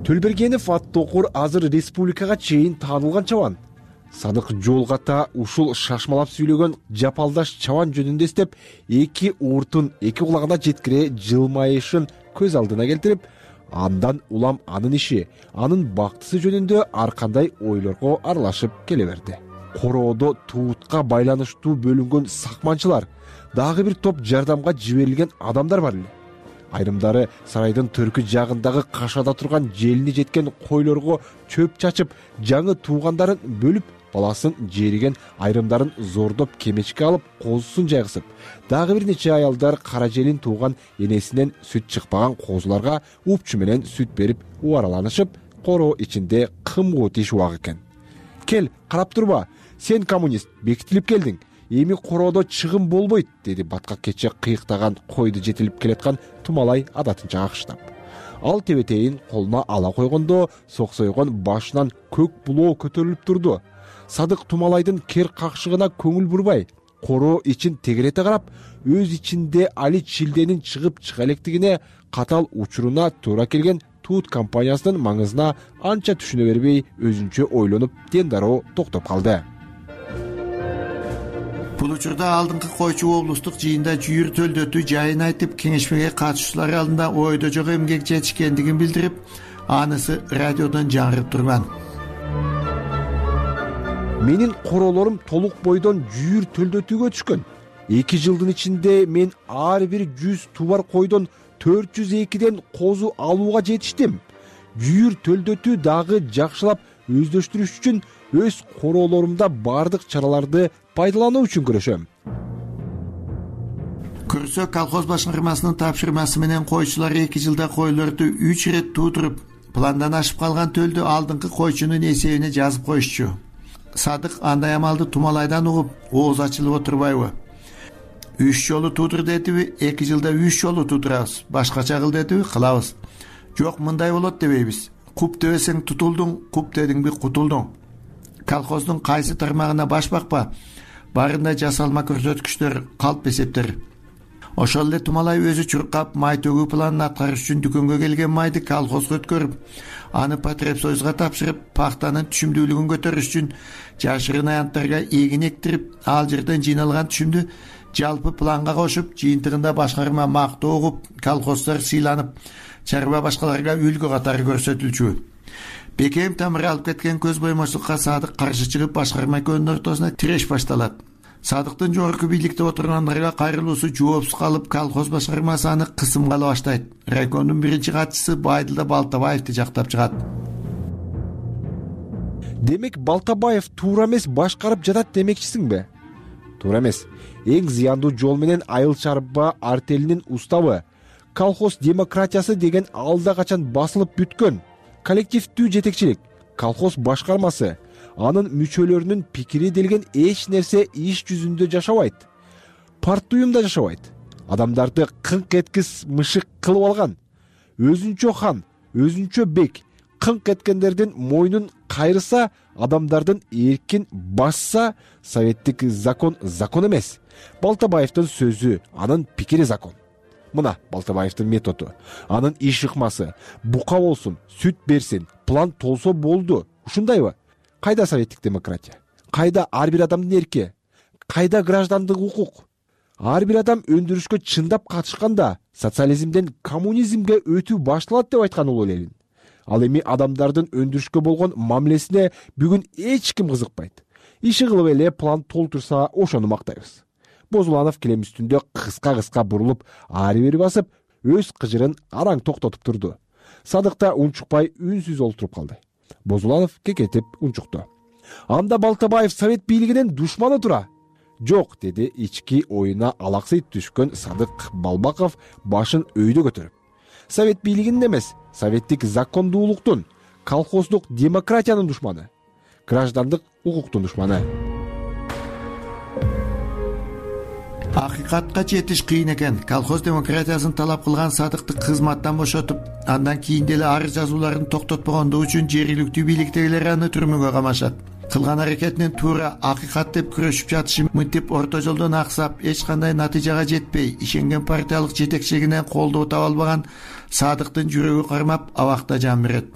Төлбергенов аттокур азыр республикага чейин таанылган чабан. Садык жолгата ушул шашмалап сүйлөгөн жапалдаш чабан жөнүндө эстеп, эки ууртун эки кулагына жеткире жылмайышын көз алдына келтирип, андан улам анын иши, анын бактысы жөнүндө ар кандай ойлорго аралашып келе берди. Короодо туутка байланыштуу бөлүнгөн сакманчылар, дагы бир топ жардамга жиберилген адамдар бар эле. Айрымдары сарайдын төркү жагындагы кашада турган желини жеткен койлорго чөп чачып, жаңы туугандарын бөлүп, баласын жериген айрымдарын зордоп кемечке алып, козусун жайгысып, дагы бир нече аялдар кара желин тууган энесинен сүт чыкпаган козуларга упчу менен сүт берип убараланышып, короо ичинде кымгуу тишип экен. Кел, карап турба, сен коммунист, бекитилип келдиң. Эми короодо чыгым болбойт, деди баткак кече кыйыктаган койду жетилип келаткан Тумалай адатынча акшытап. Ал тебетейин колуна ала койгондо соксойгон башынан көк булоо көтөрүлүп турду. Садык Тумалайдын кер какшыгына көңүл бурбай, короо ичин тегерете карап, өз ичинде али чилденин чыгып чыга электигине, катал учуруна туура келген Туут компаниясынын маңызына анча түшүнө бербей, өзүнчө ойлонуп, дендароо токтоп калды. Бул учурда алдыңкы койчу облустук жыйында жүйүр төлдөтүү жайын айтып, кеңешмеге катышуучулар алдында ойдо жок эмгек жетишкендигин билдирип, анысы радиодон жаңырып турган. Менин короолорум толук бойдон жүйүр төлдөтүүгө түшкөн. 2 жылдын ичинде мен ар бир 100 тубар койдон 402ден козу алууга жетиштим. Жүйүр төлдөтүү дагы жакшылап өздөштүрүш үчүн өз короолорумда бардык чараларды пайдалануу үчүн күрөшөм. көрсө колхоз башкармасынын тапшырмасы менен койчулар 2 жылда койлорду 3 ирет туудуруп, пландан ашып калган төлдү алдыңкы койчунун эсебине жазып коюшчу. Садык андай амалды Тумалайдан угуп, ооз ачылып отурбайбы? 3 жолу туудур дедиби, 2 жылда 3 жолу туудурабыз. Башкача кыл дедиби, кылабыз. Жок, мындай болот дебейбиз. Куп дебесең тутулдуң, куп дедиңби кутулдуң. Колхоздун кайсы тармагына баш бакпа, баарында жасалма көрсөткүчтөр, калп эсептер. Ошол эле Тумалай өзү чуркап, май төгүү планын аткарыш үчүн дүкөнгө келген майды колхозго өткөрүп, аны Потребсоюзга тапшырып, пахтанын түшүмдүүлүгүн көтөрүш үчүн жашырын аянттарга эгин эктирип, ал жерден жыйналган түшүмдү жалпы планга кошуп, жыйынтыгында башкарма мактоо угуп, колхоздор сыйланып, чарба башкаларга үлгү катары көрсөтүлчү. Бекем тамыр алып кеткен көз боймочулукка Садык каршы чыгып, башкарма экөөнүн ортосуна тиреш башталат. Садыктын жогорку бийликте отургандарга кайрылуусу жоопсуз калып, колхоз башкармасы аны кысымга ала баштайт. Райкомдун биринчи катчысы Байдылда Балтабаевди жактап чыгат. Демек Балтабаев туура эмес башкарып жатат демекчисиңби? Туура эмес. Эң зыяндуу жол менен айыл чарба артелинин уставы, колхоз демократиясы деген алда качан басылып бүткөн. Коллективдүү жетекчилик, колхоз башкармасы, анын мүчөлөрүнүн пикири делген эч нерсе иш жүзүндө жашабайт. Партуюм да жашабайт. Адамдарды кыңк эткис мышык кылып алган. Өзүнчө хан, өзүнчө бек, кыңк эткендердин мойнун кайрыса, адамдардын эркин басса, советтик закон закон эмес. Балтабаевдин сөзү, анын пикири закон. Мына Балтабаевдин методу, анын иш ыкмасы, бука болсун, сүт берсин, план толсо болду. Ушундайбы? Кайда советтик демократия? Кайда ар бир адамдын эрки? Кайда граждандык укук? Ар бир адам өндүрүшкө чындап катышканда социализмден коммунизмге өтүү башталат деп айткан Улуу Ленин. Ал эми адамдардын өндүрүшкө болгон мамилесине бүгүн эч ким кызыкпайт. Иши кылып эле план толтурса, ошону мактайбыз. Бозуланов килем үстүндө кыска бурулуп, ары бери басып, өз кыжырын араң токтотуп турду. Садыкта унчукпай үнсүз олтуруп калды. Бозуланов кекетип унчукту. Анда Балтабаев совет бийлигинин душманы тура. Жок, деди ички оюна алаксый түшкөн Садык Балбаков башын өйдө көтөрүп. Совет бийлигинин эмес, советтик закондуулуктун, колхоздук демократиянын душманы, граждандык укуктун душманы. Акыйкатка жетиш кыйын экен. Колхоз демократиясын талап кылган Садыкты кызматтан бошотуп, андан кийин деле арыз жазууларын токтотпогондугу үчүн жергиликтүү бийликтегилер аны түрмөгө камашат. Кылган аракетинин туура акыйкат деп күрөшүп жатышы мынтип орто жолдон аксап, эч кандай натыйжага жетпей, ишенген партиялык жетекчилигинен колдоо таба албаган Садыктын жүрөгү кармап, абакта жан берет.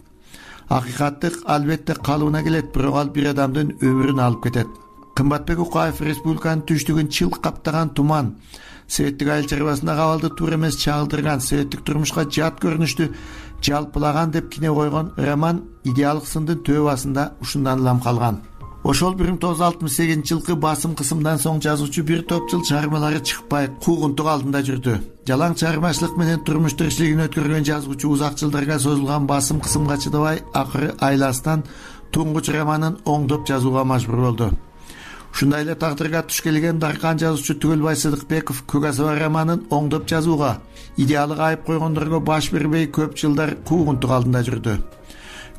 Акыйкаттык албетте калыбына келет, бирок ал бир адамдын өмүрүн алып кетет. Кымбатбек Укаев республиканын түштүгүн чылк каптаган туман, советтик айыл чарбасында кабалды туура эмес чагылдырган, советтик турмушка жат көрүнүштү жалпылаган деп кине койгон роман идеалдык сындын төбө басында ушундан улам калган. Ошол 1968-жылкы басым кысымдан соң жазуучу бир топ жыл чыгармалары чыкпай, куугунтук алдында жүрдү. Жалаң чыгармачылык менен турмуш тиричилигин өткөргөн жазуучу узак жылдарга созулган басым кысымга чыдабай, акыры айласынан туңгуч романын оңдоп жазууга мажбур болду. Ушундай эле тагдырга туш келген даркан жазуучу Түгөлбай Сыдыкбеков Көк асаба романын оңдоп жазууга, идеалык айып койгондорго баш бербей көп жылдар куугунтук алдында жүрдү.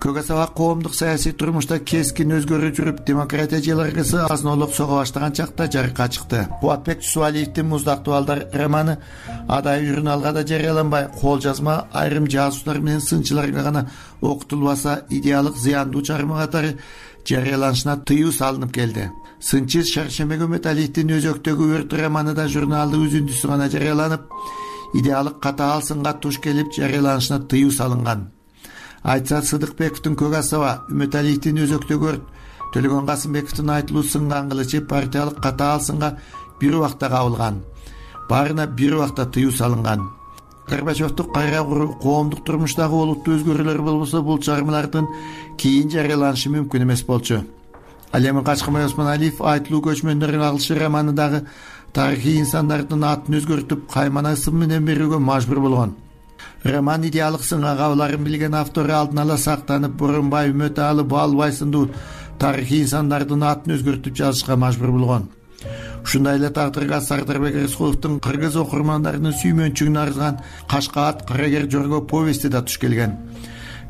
Көк асаба коомдук саясий турмушта кескин өзгөрүп жүрүп, демократия желаргысы азынолуп сого баштаган чакта жарыкка чыкты. Кубатбек Тусуалиевдин Муздактуу балдар романы адай журналга да жарыяланбай, кол жазма айрым жазуучулар менен сынчыларга гана окутулбаса, идеалык зыяндуу чыгарма катары жарыяланышына тыюу салынып келди. Сынчы Шаршембек Өмөталиевдин Өзөктөгү өрт романы да журналдык үзүндүсү гана жарыяланып, идеалык катаал сынга туш келип жарыяланышына тыюу салынган. Айтса Сыдыкбековдун Көк асаба, Үмөталиевдин Өзөктөгү өрт, Төлөгөн Касымбековдун Айтылуу сынган кылычы партиялык катаал сынга бир убакта кабылган. Баарына бир убакта тыюу салынган. Горбачевду кайра куруу, коомдук турмуштагы олуттуу өзгөрүүлөр болбосо, бул чыгармалардын кийин жарыяланышы мүмкүн эмес болчу. Ал эми Качкынбай Осмоналиев Айтылуу көчмөндөрүн агылышы романындагы тарыхый инсандардын атын өзгөртүп, каймана ысым менен берүүгө мажбур болгон. Роман идеалык сынга кабыларын билген автору алдын ала сактанып, Боронбай, Үмөталы, Баалбай сындуу тарыхый инсандардын атын өзгөртүп жазышка мажбур болгон. ушундай эле тагдырга Сардарбек Рыскуловдун кыргыз окурмандарынын сүймөнчүгүн арзган Кашкаат Карагер Жорго повести да туш келген.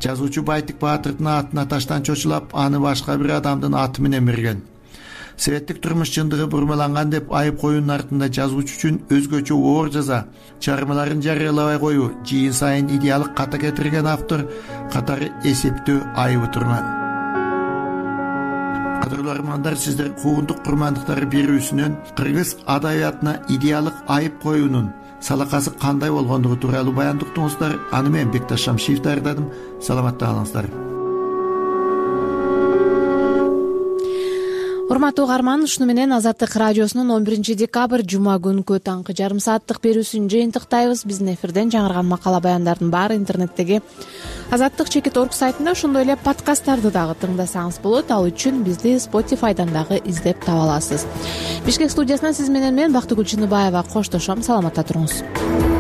Жазуучу Байтик Баатырдын атына таштан чочулап, аны башка бир адамдын аты менен берген. Советтик турмуш чындыгы бурмаланган деп айып коюунун артында жазуучу үчүн өзгөчө оор жаза, чыгармаларын жарыялабай коюу, жыйын сайын идеалык ката кетирген автор катары эсептөө айыбы турган. Кадырлуу армандар, сиздер куугунтук курмандыктары берүүсүнөн кыргыз адабиятына идеалык айып коюунун салакасы кандай болгондугу тууралуу баяндоо уктуңуздар. Аны мен Бекташ Шамшиев даярдадым. Саламатта калыңыздар. Урматтуу угарман, ушуну менен Азаттык радиосунун 11 декабрь жума күнкү таңкы жарым сааттык берүүсүн жыйынтыктайбыз. Биздин эфирден жаңырган макала баяндардын баары интернеттеги azattik.org сайтында, ошондой эле подкасттарды дагы тыңдасаңыз болот. Ал үчүн бизди Spotify'дан дагы издеп таба аласыз. Бишкек студиясынан сиз менен мен Бактыгүл Чыныбаева коштошом. Саламатта туруңуз.